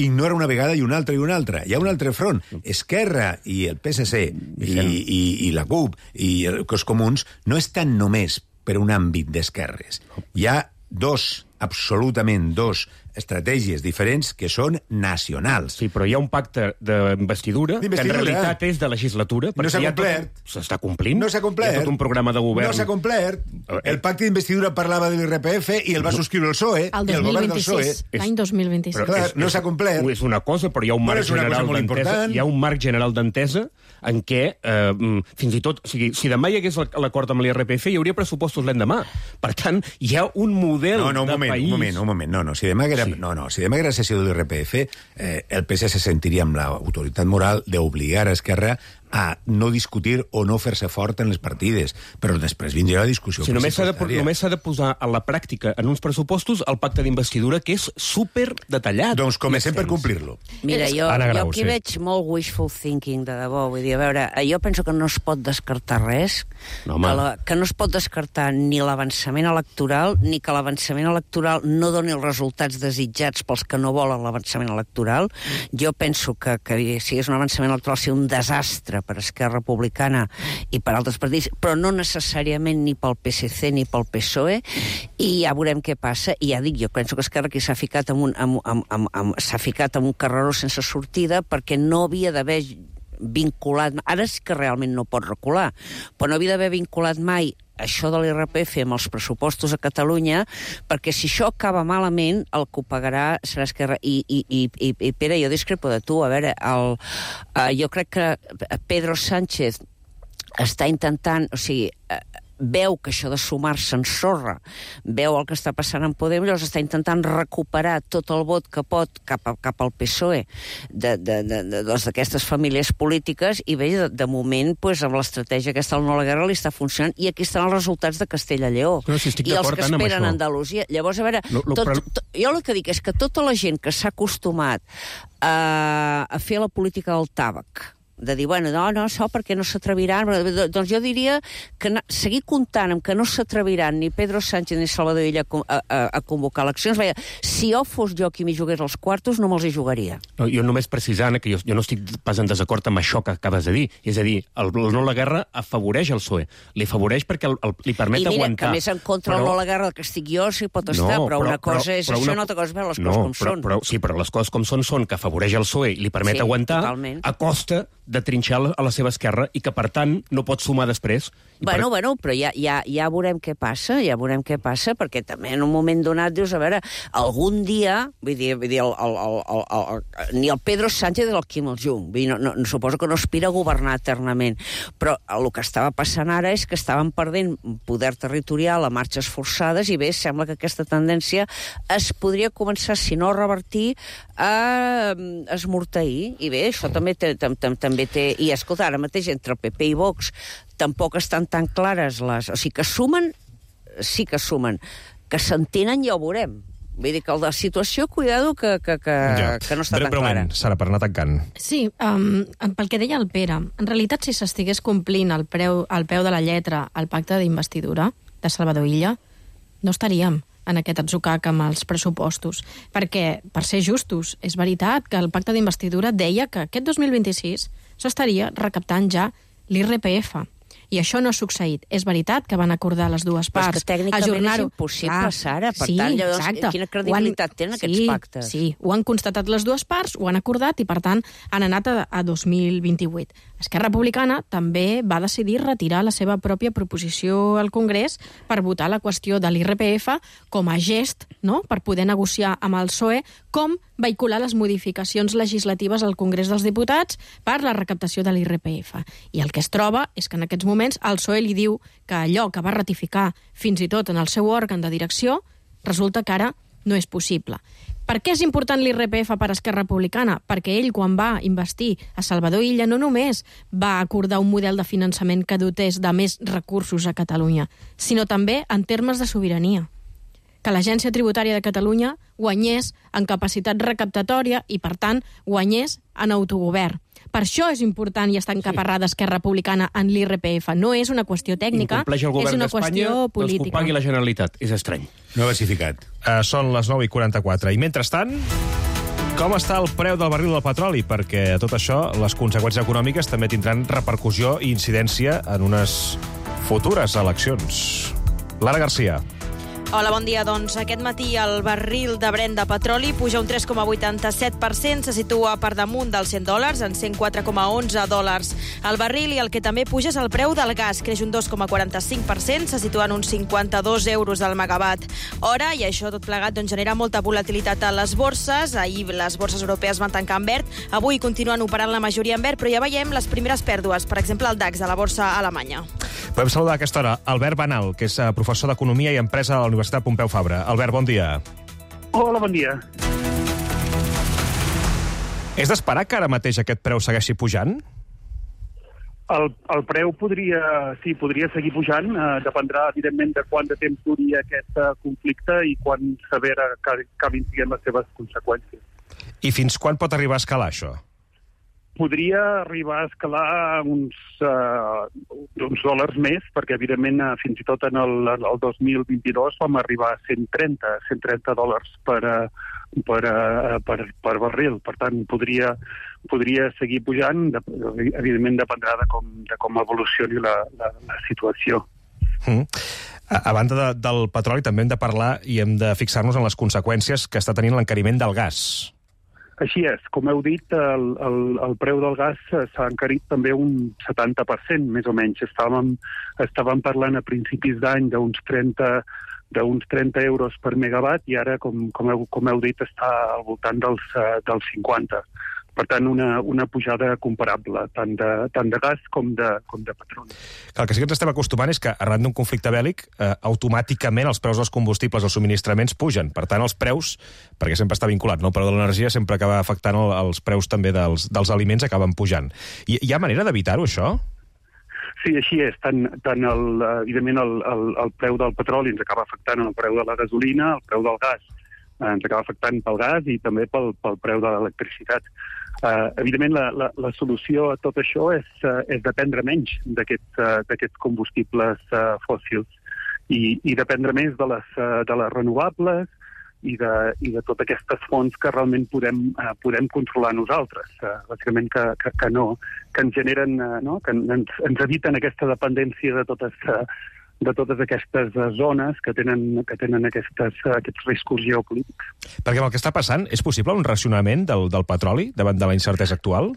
ignora una vegada i una altra i una altra. Hi ha un altre front. Esquerra i el P S C i, i, i la C U P i els comuns no estan només per un àmbit d'esquerres. Hi ha dos, absolutament dos, estratègies diferents que són nacionals.
Sí, però hi ha un pacte d'investidura que en realitat és de legislatura.
No s'ha complert.
S'està complint.
No s'ha complert.
Hi ha tot un programa de govern.
No s'ha complert. El pacte d'investidura parlava de l'I R P F i el va subscriure el P S O E.
El dos mil vint-i-sis, l'any dos mil vint-i-sis.
Però, clar, no s'ha complert.
És una cosa, però hi ha un marc general d'entesa. Hi ha un marc general d'entesa en què, eh, fins i tot, o sigui, si demà hi hagués l'acord amb l'I R P F, hi hauria pressupostos l'endemà. Per tant, hi ha un model
no, no, un
de
moment,
país...
Un moment, un moment, no, no, si demà haguera, sí. no, no, si demà haguera sessió de l'I R P F, eh, el P S se sentiria amb l'autoritat moral d'obligar a Esquerra a no discutir o no fer-se fort en les partides, però després vindrà la discussió
si només s'ha de, només s'ha de posar a la pràctica en uns pressupostos el pacte d'investidura, que és super detallat.
Doncs comencem per complir-lo.
Mira, jo,
Grau,
jo aquí
sí.
veig molt wishful thinking, de debò. Vull dir, a veure, jo penso que no es pot descartar res,
no,
que, la, que no es pot descartar ni l'avançament electoral, ni que l'avançament electoral no doni els resultats desitjats pels que no volen l'avançament electoral. Jo penso que, que si és un avançament electoral sigui un desastre per Esquerra Republicana i per altres partits, però no necessàriament ni pel P S C ni pel P S O E, i ja veurem què passa. I ja dic, jo penso que Esquerra aquí s'ha ficat en un, amb, amb, amb, amb, s'ha ficat en un carreró sense sortida perquè no havia d'haver vinculat... Ara sí que realment no pot recular, però no havia d'haver vinculat mai això de l'I R P F amb els pressupostos a Catalunya, perquè si això acaba malament, el que ho pagarà serà Esquerra. I, i, i, i, i Pere, jo discrepo de tu. A veure, el, uh, jo crec que Pedro Sánchez està intentant... O sigui, uh, veu que això de sumar-se ensorra, veu el que està passant en Podem, llavors està intentant recuperar tot el vot que pot cap, a, cap al P S O E d'aquestes famílies polítiques, i bé, de, de moment, pues, amb l'estratègia aquesta del no a la guerra li està funcionant, i aquí estan els resultats de Castella i Lleó.
No, si
I els que esperen a Andalusia. Llavors, a veure,
no, no,
tot,
però...
tot, jo el que dic és que tota la gent que s'ha acostumat a, a fer la política del tàbac, de dir, bueno, no, no, això perquè no s'atreviran, doncs jo diria que na, seguir comptant amb que no s'atreviran ni Pedro Sánchez ni Salvador Illa a, a, a convocar eleccions. Veia, si jo fos jo qui m'hi jugués els quartos, no me'ls hi jugaria.
No, jo només precisant que jo, jo no estic pas en desacord amb això que acabes de dir. És a dir, el, el no a la guerra afavoreix el P S O E. Li afavoreix perquè el, el, li permet
I mira,
aguantar.
I mira, que més en contra però... el no a la guerra que estic jo sí pot estar, no, però, però una cosa però, és però això, una altra cosa és veure les
no,
coses com
però,
són.
Però, sí, però les coses com són són que afavoreix el P S O E i li permet
sí,
aguantar
totalment.
A costa de trinxar a la seva esquerra i que, per tant, no pot sumar després.
Bueno,
per...
bueno, però ja, ja, ja veurem què passa, ja veurem què passa, perquè també en un moment donat dius, a veure, algun dia, vull dir, vull dir el, el, el, el, el, el, ni el Pedro Sánchez ni el Quim el-Jung, vull dir, no, no, suposo que no aspira a governar eternament, però el que estava passant ara és que estaven perdent poder territorial a marxes forçades, i bé, sembla que aquesta tendència es podria començar, si no a revertir, a esmorteir, i bé, això també té, tam, tam, també té... I escolta, ara mateix entre el P P i Vox tampoc estan tan clares les... O sigui, que sumen, sí que sumen. Que s'entenen ja ho veurem. Vull dir que la situació, cuidado, que, que, que, ja. que no està tan clara.
Sara, per anar tancant.
Sí, um, pel que deia el Pere, en realitat, si s'estigués complint al, preu, al peu de la lletra el pacte d'investidura de Salvador Illa, no estaríem en aquest atzucac amb els pressupostos. Perquè, per ser justos, és veritat que el pacte d'investidura deia que aquest dos mil vint-i-sis s'estaria recaptant ja l'I R P F. I això no ha succeït. És veritat que van acordar les dues parts.
Però és que tècnicament és impossible, ah, Sara. Per
sí,
tant, llavors,
exacte.
quina credibilitat han... tenen
sí,
aquests pactes?
Sí, ho han constatat les dues parts, ho han acordat i, per tant, han anat a, a dos mil vint-i-vuit. Esquerra Republicana també va decidir retirar la seva pròpia proposició al Congrés per votar la qüestió de l'I R P F com a gest, no?, per poder negociar amb el P S O E com vehicular les modificacions legislatives al Congrés dels Diputats per la recaptació de l'I R P F. I el que es troba és que en aquests moments el P S O E li diu que allò que va ratificar fins i tot en el seu òrgan de direcció resulta que ara no és possible. Per què és important l'I R P F per Esquerra Republicana? Perquè ell, quan va investir a Salvador Illa, no només va acordar un model de finançament que dotés de més recursos a Catalunya, sinó també en termes de sobirania. Que l'Agència Tributària de Catalunya guanyés en capacitat recaptatòria i, per tant, guanyés en autogovern. Per això és important i està encaparrada Esquerra Republicana en l'I R P F. No és una qüestió tècnica,
Incompleix el
és
govern
una
d'Espanya,
qüestió
doncs que ho
política.
pagui la Generalitat. És estrany.
No ha versificat.
Uh, són les nou i quaranta-quatre. I mentrestant, com està el preu del barril del petroli? Perquè a tot això, les conseqüències econòmiques també tindran repercussió i incidència en unes futures eleccions. Lara Garcia.
Hola, bon dia. Doncs aquest matí el barril de Brent de petroli puja un tres coma vuitanta-set per cent, se situa per damunt dels cent dòlars, en cent quatre coma onze dòlars el barril, i el que també puja és el preu del gas, creix un dos coma quaranta-cinc per cent, se situa en uns cinquanta-dos euros al megawatt hora, i això tot plegat doncs, genera molta volatilitat a les borses. Ahir les borses europees van tancar en verd, avui continuen operant la majoria en verd, però ja veiem les primeres pèrdues, per exemple el DAX de la borsa alemanya.
Podem saludar a aquesta hora Albert Banal, que és professor d'Economia i Empresa a la Universitat Pompeu Fabra. Albert, bon dia.
Hola, bon dia.
És d'esperar que ara mateix aquest preu segueixi pujant?
El, el preu podria, sí, podria seguir pujant. Eh, dependrà, evidentment, de quant de temps duri aquest uh, conflicte i quan severa acabin sent les seves conseqüències.
I fins quan pot arribar a escalar això?
Podria arribar a escalar uns, uh, uns dòlars més, perquè, evidentment, uh, fins i tot en el, el dos mil vint-i-dos vam arribar a cent trenta dòlars per, uh, per, uh, per, per barril. Per tant, podria, podria seguir pujant. De, evidentment, dependrà de com, de com evolucioni la, la, la situació.
Mm. A, a banda de, del petroli, també hem de parlar i hem de fixar-nos en les conseqüències que està tenint l'encariment del gas.
Així és. Com heu dit, el, el, el preu del gas s'ha encarit també un setanta per cent, més o menys. Estàvem, estàvem parlant a principis d'any d'uns trenta, d'uns trenta euros per megawatt i ara, com, com, heu, com heu dit, està al voltant dels, dels cinquanta. Per tant, una, una pujada comparable, tant de, tant de gas com de, com de petroli.
El que sí que ens estem acostumant és que, arran d'un conflicte bèl·lic, eh, automàticament els preus dels combustibles, els subministraments, pugen. Per tant, els preus, perquè sempre està vinculat, no? El preu de l'energia sempre acaba afectant el, els preus també dels, dels aliments, acaben pujant. I hi ha manera d'evitar-ho, això?
Sí, així és. Tant, tant el, evidentment, el, el, el preu del petroli ens acaba afectant el preu de la gasolina, el preu del gas ens acaba afectant pel gas i també pel, pel preu de l'electricitat. Uh, evidentment, la, la, la solució a tot això és, uh, és dependre menys d'aquests uh, d'aquests combustibles uh, fòssils i, i dependre més de les, uh, de les renovables i de, i de totes aquestes fonts que realment podem, uh, podem controlar nosaltres. Uh, bàsicament que, que, que no, que ens generen, uh, no? que ens, ens eviten aquesta dependència de totes... Uh, de totes aquestes zones que tenen, que tenen aquestes, aquests riscos geopolítics.
Perquè amb el que està passant, és possible un racionament del, del petroli davant de la incertesa actual?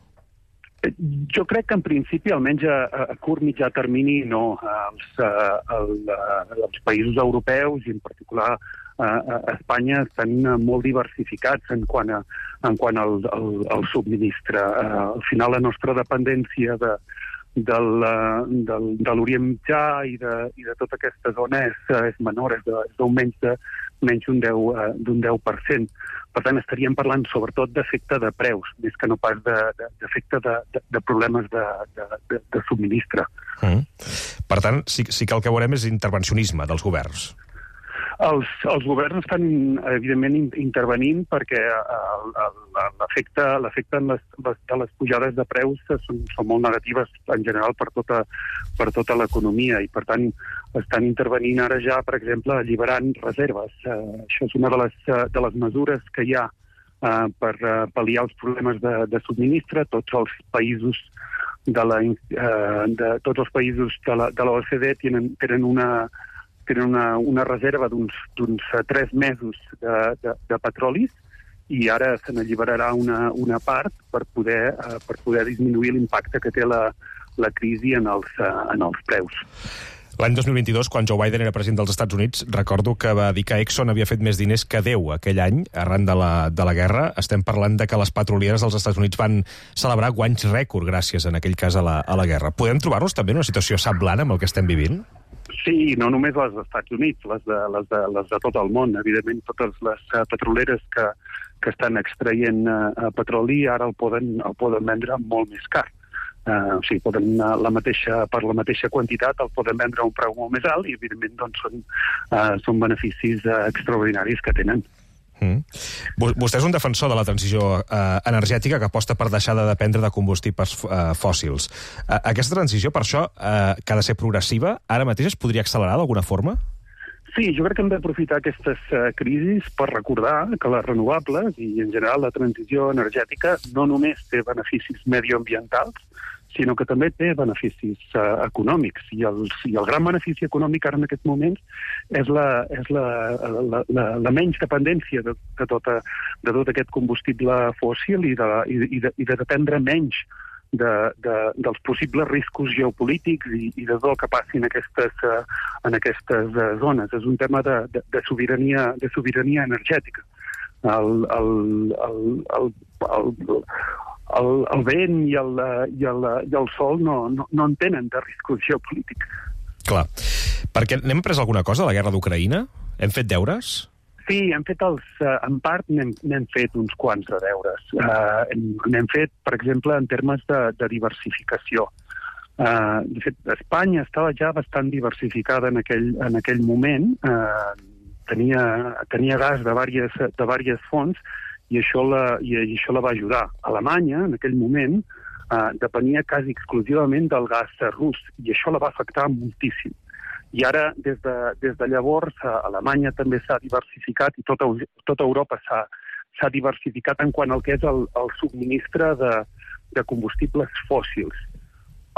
Jo crec que en principi, almenys a, a curt mitjà termini, no. Els, el, els països europeus, i en particular a Espanya, estan molt diversificats en quant, a, en quant al, al, al subministre. Al final, la nostra dependència de del, del, de l'Orient Mitjà i de, i de tota aquesta zona és, és menor, és d'un menys de menys d'un deu, deu per cent. Per tant, estaríem parlant sobretot d'efecte de preus, més que no pas d'efecte de, de, de, de problemes de, de, de, de subministre.
Mm. Per tant, sí, sí que el que veurem és intervencionisme dels governs.
Els, els governs estan, evidentment, intervenint perquè l'efecte l'efecte de les pujades de preus són, són molt negatives en general per tota, per tota l'economia i, per tant, estan intervenint ara ja, per exemple, alliberant reserves. Uh, això és una de les, de les mesures que hi ha uh, per uh, pal·liar els problemes de, de subministre. Tots els països de la, uh, de, tots els països de la, de l'O E C D tenen, tenen una tenen una, una reserva d'uns tres mesos de, de, de petrolis i ara se n'alliberarà una, una part per poder, uh, per poder disminuir l'impacte que té la, la crisi en els, uh, en els preus.
L'any dos mil vint-i-dos, quan Joe Biden era president dels Estats Units, recordo que va dir que Exxon havia fet més diners que Déu aquell any, arran de la, de la guerra. Estem parlant de que les petrolieres dels Estats Units van celebrar guanys rècord gràcies, en aquell cas, a la, a la guerra. Podem trobar-nos també en una situació semblant amb el que estem vivint?
Sí, no només les dels Estats Units, les de, les de, les de tot el món. Evidentment, totes les uh, petroleres que, que estan extraient uh, petroli ara el poden, el poden vendre molt més car. Uh, o sigui, poden, uh, la mateixa, per la mateixa quantitat el poden vendre a un preu molt més alt i, evidentment, doncs, són, uh, són beneficis uh, extraordinaris que tenen.
Mm. Vostè és un defensor de la transició eh, energètica que aposta per deixar de dependre de combustibles eh, fòssils. Eh, aquesta transició, per això, eh, que ha de ser progressiva, ara mateix es podria accelerar d'alguna forma?
Sí, jo crec que hem d'aprofitar aquestes uh, crisis per recordar que les renovables i, en general, la transició energètica no només té beneficis medioambientals, sinó que també té beneficis uh, econòmics. I el, I el gran benefici econòmic ara en aquests moments és la, és la, la, la, la menys dependència de, de, tota, de tot aquest combustible fòssil i de, i, i de, i de dependre menys de, de, dels possibles riscos geopolítics i, i de tot el que passi en aquestes, uh, en aquestes uh, zones. És un tema de, de, de, sobirania, de sobirania energètica. El, el, el, el, el, el El, el vent i el, i el, i el sol no, no, no en tenen de riscos geopolítics.
Clar. Perquè n'hem pres alguna cosa de la guerra d'Ucraïna? Hem fet deures?
Sí, hem fet els, en part n'hem fet uns quants de deures. Uh, n'hem fet, per exemple, en termes de, de diversificació. Uh, de fet, Espanya estava ja bastant diversificada en aquell, en aquell moment. Uh, tenia, tenia gas de diverses, de diverses fonts, i això, la, i això la va ajudar. Alemanya, en aquell moment, eh, depenia quasi exclusivament del gas rus, i això la va afectar moltíssim. I ara, des de, des de llavors, eh, Alemanya també s'ha diversificat i tota, tota Europa s'ha diversificat en quant al que és el, el subministre de, de combustibles fòssils.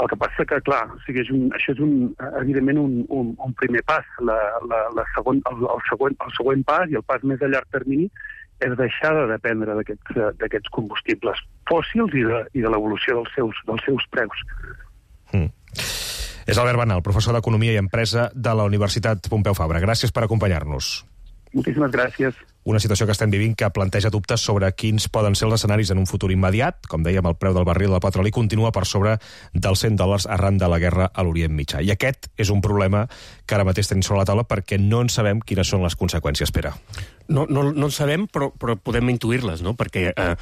El que passa que, clar, o sigui, és un, això és un, evidentment un, un, un primer pas. La, la, la segon, el, el, següent, el següent pas i el pas més a llarg termini és deixar de dependre d'aquests combustibles fòssils i de, i de l'evolució dels seus, dels seus preus.
Mm. És Albert Banal, professor d'Economia i Empresa de la Universitat Pompeu Fabra. Gràcies per acompanyar-nos.
Moltíssimes gràcies.
Una situació que estem vivint que planteja dubtes sobre quins poden ser els escenaris en un futur immediat. Com dèiem, el preu del barril del petroli continua per sobre dels cent dòlars arran de la guerra a l'Orient Mitjà. I aquest és un problema que ara mateix tenim sobre la taula perquè no en sabem quines són les conseqüències, Pere.
No, no, no en sabem, però, però podem intuir-les, no? Perquè eh,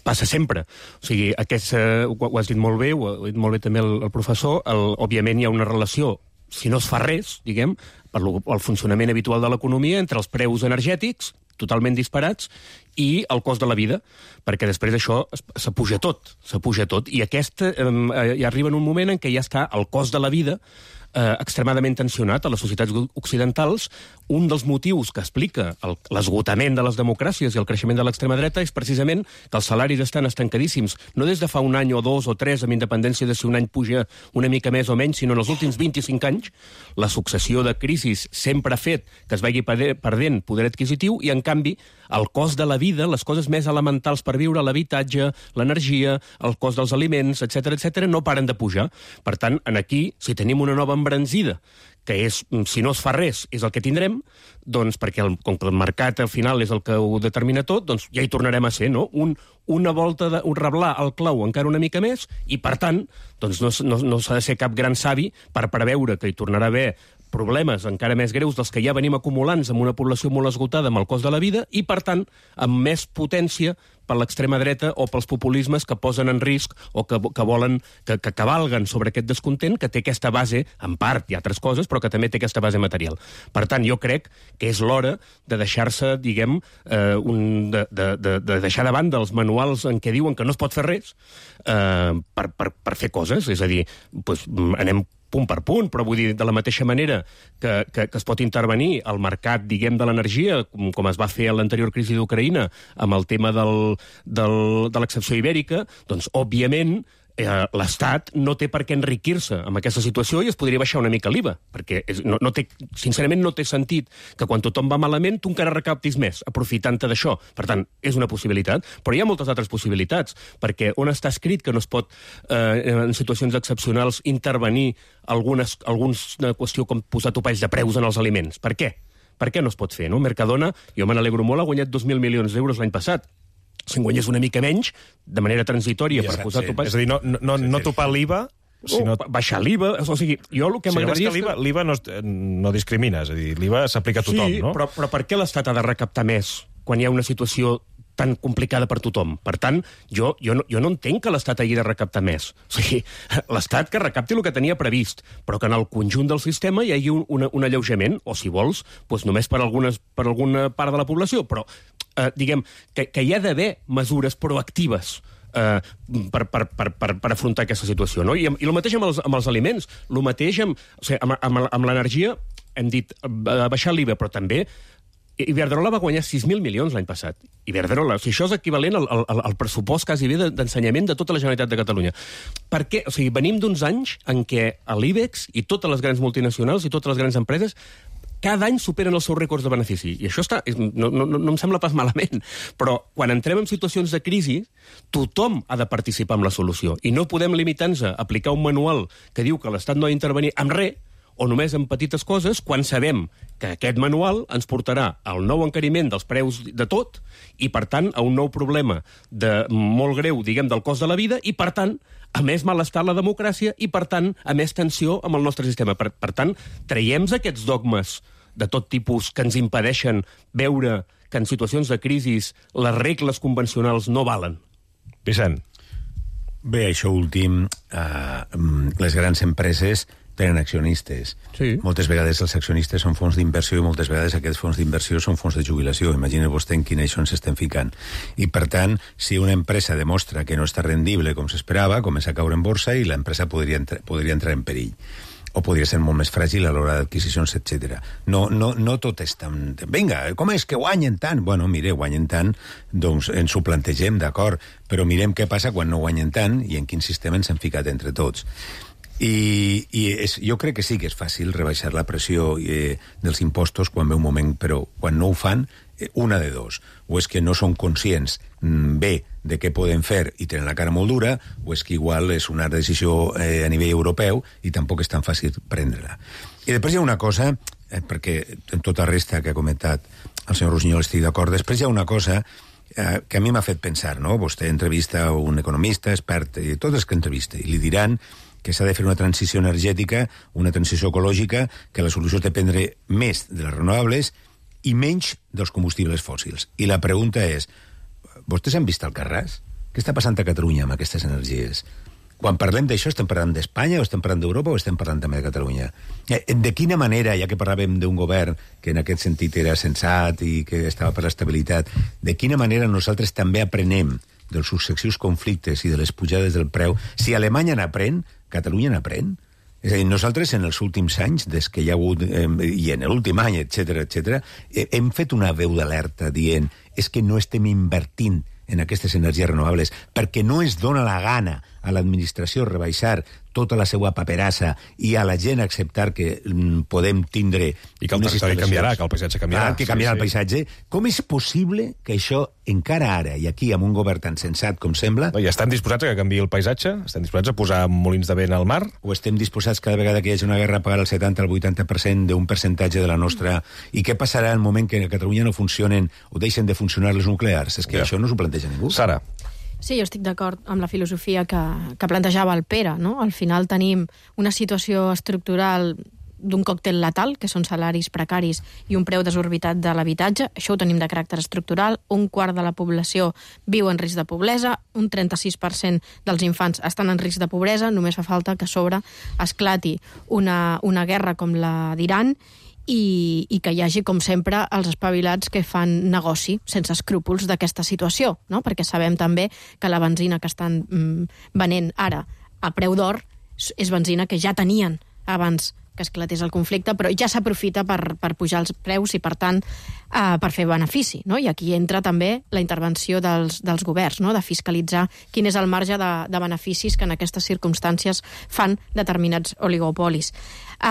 passa sempre. O sigui, aquest, eh, ho, ho has dit molt bé, ho ha dit molt bé també el, el professor, el, òbviament hi ha una relació, si no es fa res, diguem, per lo, el funcionament habitual de l'economia entre els preus energètics, totalment disparats, i el cost de la vida, perquè després això s'apuja tot, s'apuja tot, i aquest eh, ja arriba en un moment en què ja està el cost de la vida eh, extremadament tensionat a les societats occidentals. Un dels motius que explica l'esgotament de les democràcies i el creixement de l'extrema dreta és precisament que els salaris estan estancadíssims, no des de fa un any o dos o tres, amb independència de si un any puja una mica més o menys, sinó en els últims vint-i-cinc anys. La successió de crisis sempre ha fet que es vagi perdent poder adquisitiu i, en canvi, el cost de la vida, les coses més elementals per viure, l'habitatge, l'energia, el cost dels aliments, etcètera, etcètera, no paren de pujar. Per tant, aquí, si tenim una nova embranzida, que és, si no es fa res, és el que tindrem, doncs, perquè el, com que el mercat al final és el que ho determina tot, doncs ja hi tornarem a ser, no? Un, una volta, de, un reblar el clau encara una mica més, i per tant, doncs no, no, no s'ha de ser cap gran savi per preveure que hi tornarà a haver problemes encara més greus dels que ja venim acumulant amb una població molt esgotada amb el cost de la vida i, per tant, amb més potència per l'extrema dreta o pels populismes que posen en risc o que, que volen, que, que cavalguen sobre aquest descontent que té aquesta base, en part, i altres coses, però que també té aquesta base material. Per tant, jo crec que és l'hora de deixar-se, diguem, eh, un, de, de, de, de deixar de banda els manuals en què diuen que no es pot fer res eh, per, per, per fer coses. És a dir, doncs, anem punt per punt, però vull dir, de la mateixa manera que, que, que es pot intervenir al mercat, diguem, de l'energia, com, com es va fer a l'anterior crisi d'Ucraïna, amb el tema del, del, de l'excepció ibèrica, doncs, òbviament, eh, l'Estat no té per què enriquir-se amb aquesta situació i es podria baixar una mica l'I V A, perquè és, no, no té, sincerament no té sentit que quan tothom va malament tu encara recaptis més, aprofitant-te d'això. Per tant, és una possibilitat, però hi ha moltes altres possibilitats, perquè on està escrit que no es pot, eh, en situacions excepcionals, intervenir algunes, alguns una qüestió com posar topalls de preus en els aliments? Per què? Per què no es pot fer, no? Mercadona, jo me n'alegro molt, ha guanyat dos mil milions d'euros l'any passat. Si en guanyés una mica menys, de manera transitòria, ja, per posar sí. topalls...
És a dir, no, no, no topar l'I V A...
Sinó... Oh, baixar l'I V A, o sigui, jo el que
sí,
m'agradaria...
L'I V A, l'I V A no, no discrimina, és a dir, l'I V A s'aplica a tothom,
sí,
no?
Però, però per què l'Estat ha de recaptar més quan hi ha una situació tan complicada per tothom. Per tant, jo, jo, no, jo no entenc que l'Estat hagi de recaptar més. O sigui, l'Estat que recapti el que tenia previst, però que en el conjunt del sistema hi hagi un, un, un alleujament, o si vols, doncs només per, algunes, per alguna part de la població, però eh, diguem que, que hi ha d'haver mesures proactives Uh, per, per, per, per, per afrontar aquesta situació. No? I, I el mateix amb els, amb els aliments, el mateix amb, o sigui, amb, amb, amb l'energia, hem dit uh, baixar l'I V A, però també Iberdrola va guanyar sis mil milions l'any passat. Iberdrola, o sigui, això és equivalent al, al, al pressupost quasi bé d'ensenyament de tota la Generalitat de Catalunya. Per què? O sigui, venim d'uns anys en què l'IBEX i totes les grans multinacionals i totes les grans empreses cada any superen els seus rècords de benefici. I això està, no, no, no em sembla pas malament. Però quan entrem en situacions de crisi, tothom ha de participar en la solució. I no podem limitar-nos a aplicar un manual que diu que l'Estat no ha d'intervenir amb res, o només en petites coses, quan sabem que aquest manual ens portarà al nou encariment dels preus de tot i, per tant, a un nou problema de molt greu, diguem, del cost de la vida i, per tant, a més malestar a la democràcia i, per tant, a més tensió amb el nostre sistema. Per, per tant, traiem aquests dogmes de tot tipus que ens impedeixen veure que en situacions de crisi les regles convencionals no valen.
Vicent.
Bé, això últim, eh, les grans empreses tenen accionistes.
Sí.
Moltes vegades els accionistes són fons d'inversió i moltes vegades aquests fons d'inversió són fons de jubilació. Imagina vostè en quina això ens estem ficant. I, per tant, si una empresa demostra que no està rendible com s'esperava, comença a caure en borsa i l'empresa podria, entrar, podria entrar en perill. O podria ser molt més fràgil a l'hora d'adquisicions, etcètera. No, no, no tot és tan... Vinga, com és que guanyen tant? Bueno, mire, guanyen tant, doncs ens ho plantegem, d'acord, però mirem què passa quan no guanyen tant i en quin sistema ens hem ficat entre tots. I, i és, jo crec que sí que és fàcil rebaixar la pressió eh, dels impostos quan ve un moment, però quan no ho fan, eh, una de dos. O és que no són conscients mm, bé de què poden fer i tenen la cara molt dura, o és que igual és una decisió eh, a nivell europeu i tampoc és tan fàcil prendre-la. I després hi ha una cosa, eh, perquè en tota resta que ha comentat el senyor Rusiñol estic d'acord, després hi ha una cosa eh, que a mi m'ha fet pensar, no? Vostè entrevista a un economista, expert, i tots els que entrevista, i li diran que s'ha de fer una transició energètica, una transició ecològica, que la solució és dependre més de les renovables i menys dels combustibles fòssils. I la pregunta és, vostès han vist Alcarràs? Què està passant a Catalunya amb aquestes energies? Quan parlem d'això, estem parlant d'Espanya, o estem parlant d'Europa, o estem parlant també de Catalunya? De quina manera, ja que parlàvem d'un govern que en aquest sentit era sensat i que estava per l'estabilitat, de quina manera nosaltres també aprenem dels successius conflictes i de les pujades del preu? Si Alemanya n'aprèn, Catalunya n'aprèn? És a dir, nosaltres en els últims anys, des que hi ha hagut, eh, i en l'últim any, etcètera, etcètera, eh, hem fet una veu d'alerta dient és que no estem invertint en aquestes energies renovables perquè no es dona la gana a l'administració rebaixar tota la seva paperassa i a la gent acceptar que mm, podem tindre...
I que el territori canviarà, que el paisatge canviarà.
Ah, que canviarà
sí,
el paisatge. Sí. Com és possible que això, encara ara, i aquí amb un govern tan sensat com sembla...
No, I estan disposats a que canviï el paisatge? Estan disposats a posar molins de vent al mar?
O estem disposats cada vegada que hi hagi una guerra a pagar el setanta al vuitanta per cent d'un percentatge de la nostra... I què passarà en el moment que a Catalunya no funcionen o deixen de funcionar les nuclears? És que ja. Això no s'ho planteja ningú.
Sara.
Sí, jo estic d'acord amb la filosofia que, que plantejava el Pere, no? Al final tenim una situació estructural d'un còctel letal, que són salaris precaris i un preu desorbitat de l'habitatge. Això ho tenim de caràcter estructural. Un quart de la població viu en risc de pobresa, un trenta-sis per cent dels infants estan en risc de pobresa, només fa falta que a sobre esclati una, una guerra com la d'Iran i, i que hi hagi, com sempre, els espavilats que fan negoci sense escrúpols d'aquesta situació, no? Perquè sabem també que la benzina que estan mm, venent ara a preu d'or és benzina que ja tenien abans que esclatés el conflicte, però ja s'aprofita per, per pujar els preus i, per tant, eh, per fer benefici. No? I aquí entra també la intervenció dels, dels governs, no? De fiscalitzar quin és el marge de, de beneficis que en aquestes circumstàncies fan determinats oligopolis. Eh,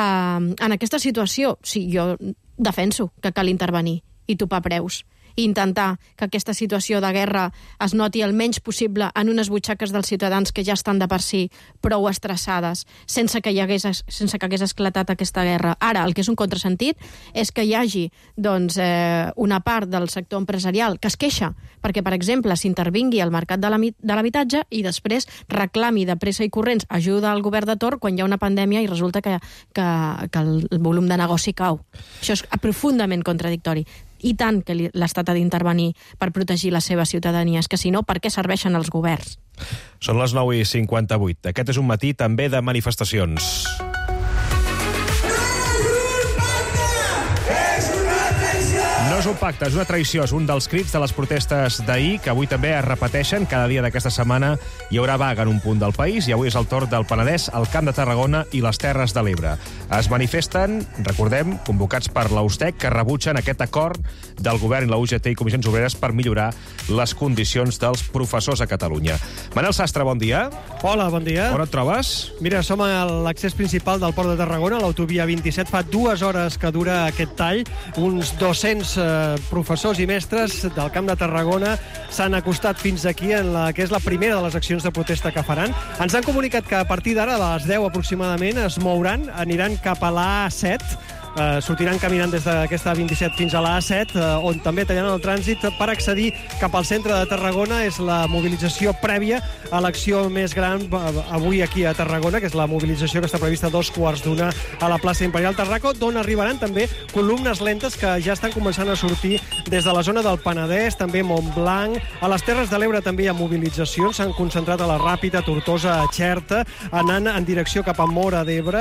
en aquesta situació, sí, jo defenso que cal intervenir i topar preus, i intentar que aquesta situació de guerra es noti el menys possible en unes butxaques dels ciutadans que ja estan de per si prou estressades, sense que hi hagués, sense que hagués esclatat aquesta guerra. Ara, el que és un contrasentit és que hi hagi doncs, eh, una part del sector empresarial que es queixa perquè, per exemple, s'intervingui al mercat de l'habitatge i després reclami de pressa i corrents ajuda al govern de torn quan hi ha una pandèmia i resulta que, que, que el volum de negoci cau. Això és profundament contradictori. I tant que l'Estat ha d'intervenir per protegir la seva ciutadania. És que si no, per què serveixen els governs?
Són les nou i cinquanta-vuit. Aquest és un matí també de manifestacions. No és un pacte, és una traïció. És un dels crits de les protestes d'ahir, que avui també es repeteixen. Cada dia d'aquesta setmana hi haurà vaga en un punt del país i avui és el torn del Penedès, el Camp de Tarragona i les Terres de l'Ebre. Es manifesten, recordem, convocats per la U S T E C, que rebutgen aquest acord del govern i la U G T i Comissions Obreres per millorar les condicions dels professors a Catalunya. Manel Sastre, bon dia.
Hola, bon dia.
On et trobes?
Mira, som a l'accés principal del Port de Tarragona, l'autovia vint-i-set. Fa dues hores que dura aquest tall. Uns dos-cents eh, professors i mestres del Camp de Tarragona s'han acostat fins aquí en la que és la primera de les accions de protesta que faran. Ens han comunicat que a partir d'ara, a les deu aproximadament, es mouran, aniran cap a l'A set, Uh, sortiran caminant des d'aquesta vint-i-set fins a l'A set, uh, on també tallaran el trànsit per accedir cap al centre de Tarragona. És la mobilització prèvia a l'acció més gran uh, avui aquí a Tarragona, que és la mobilització que està prevista a dos quarts d'una a la plaça Imperial Tarraco, d'on arribaran també columnes lentes que ja estan començant a sortir des de la zona del Penedès, també Montblanc. A les Terres de l'Ebre també hi ha mobilitzacions, s'han concentrat a la Ràpita, Tortosa, a Xerta, anant en direcció cap a Móra d'Ebre.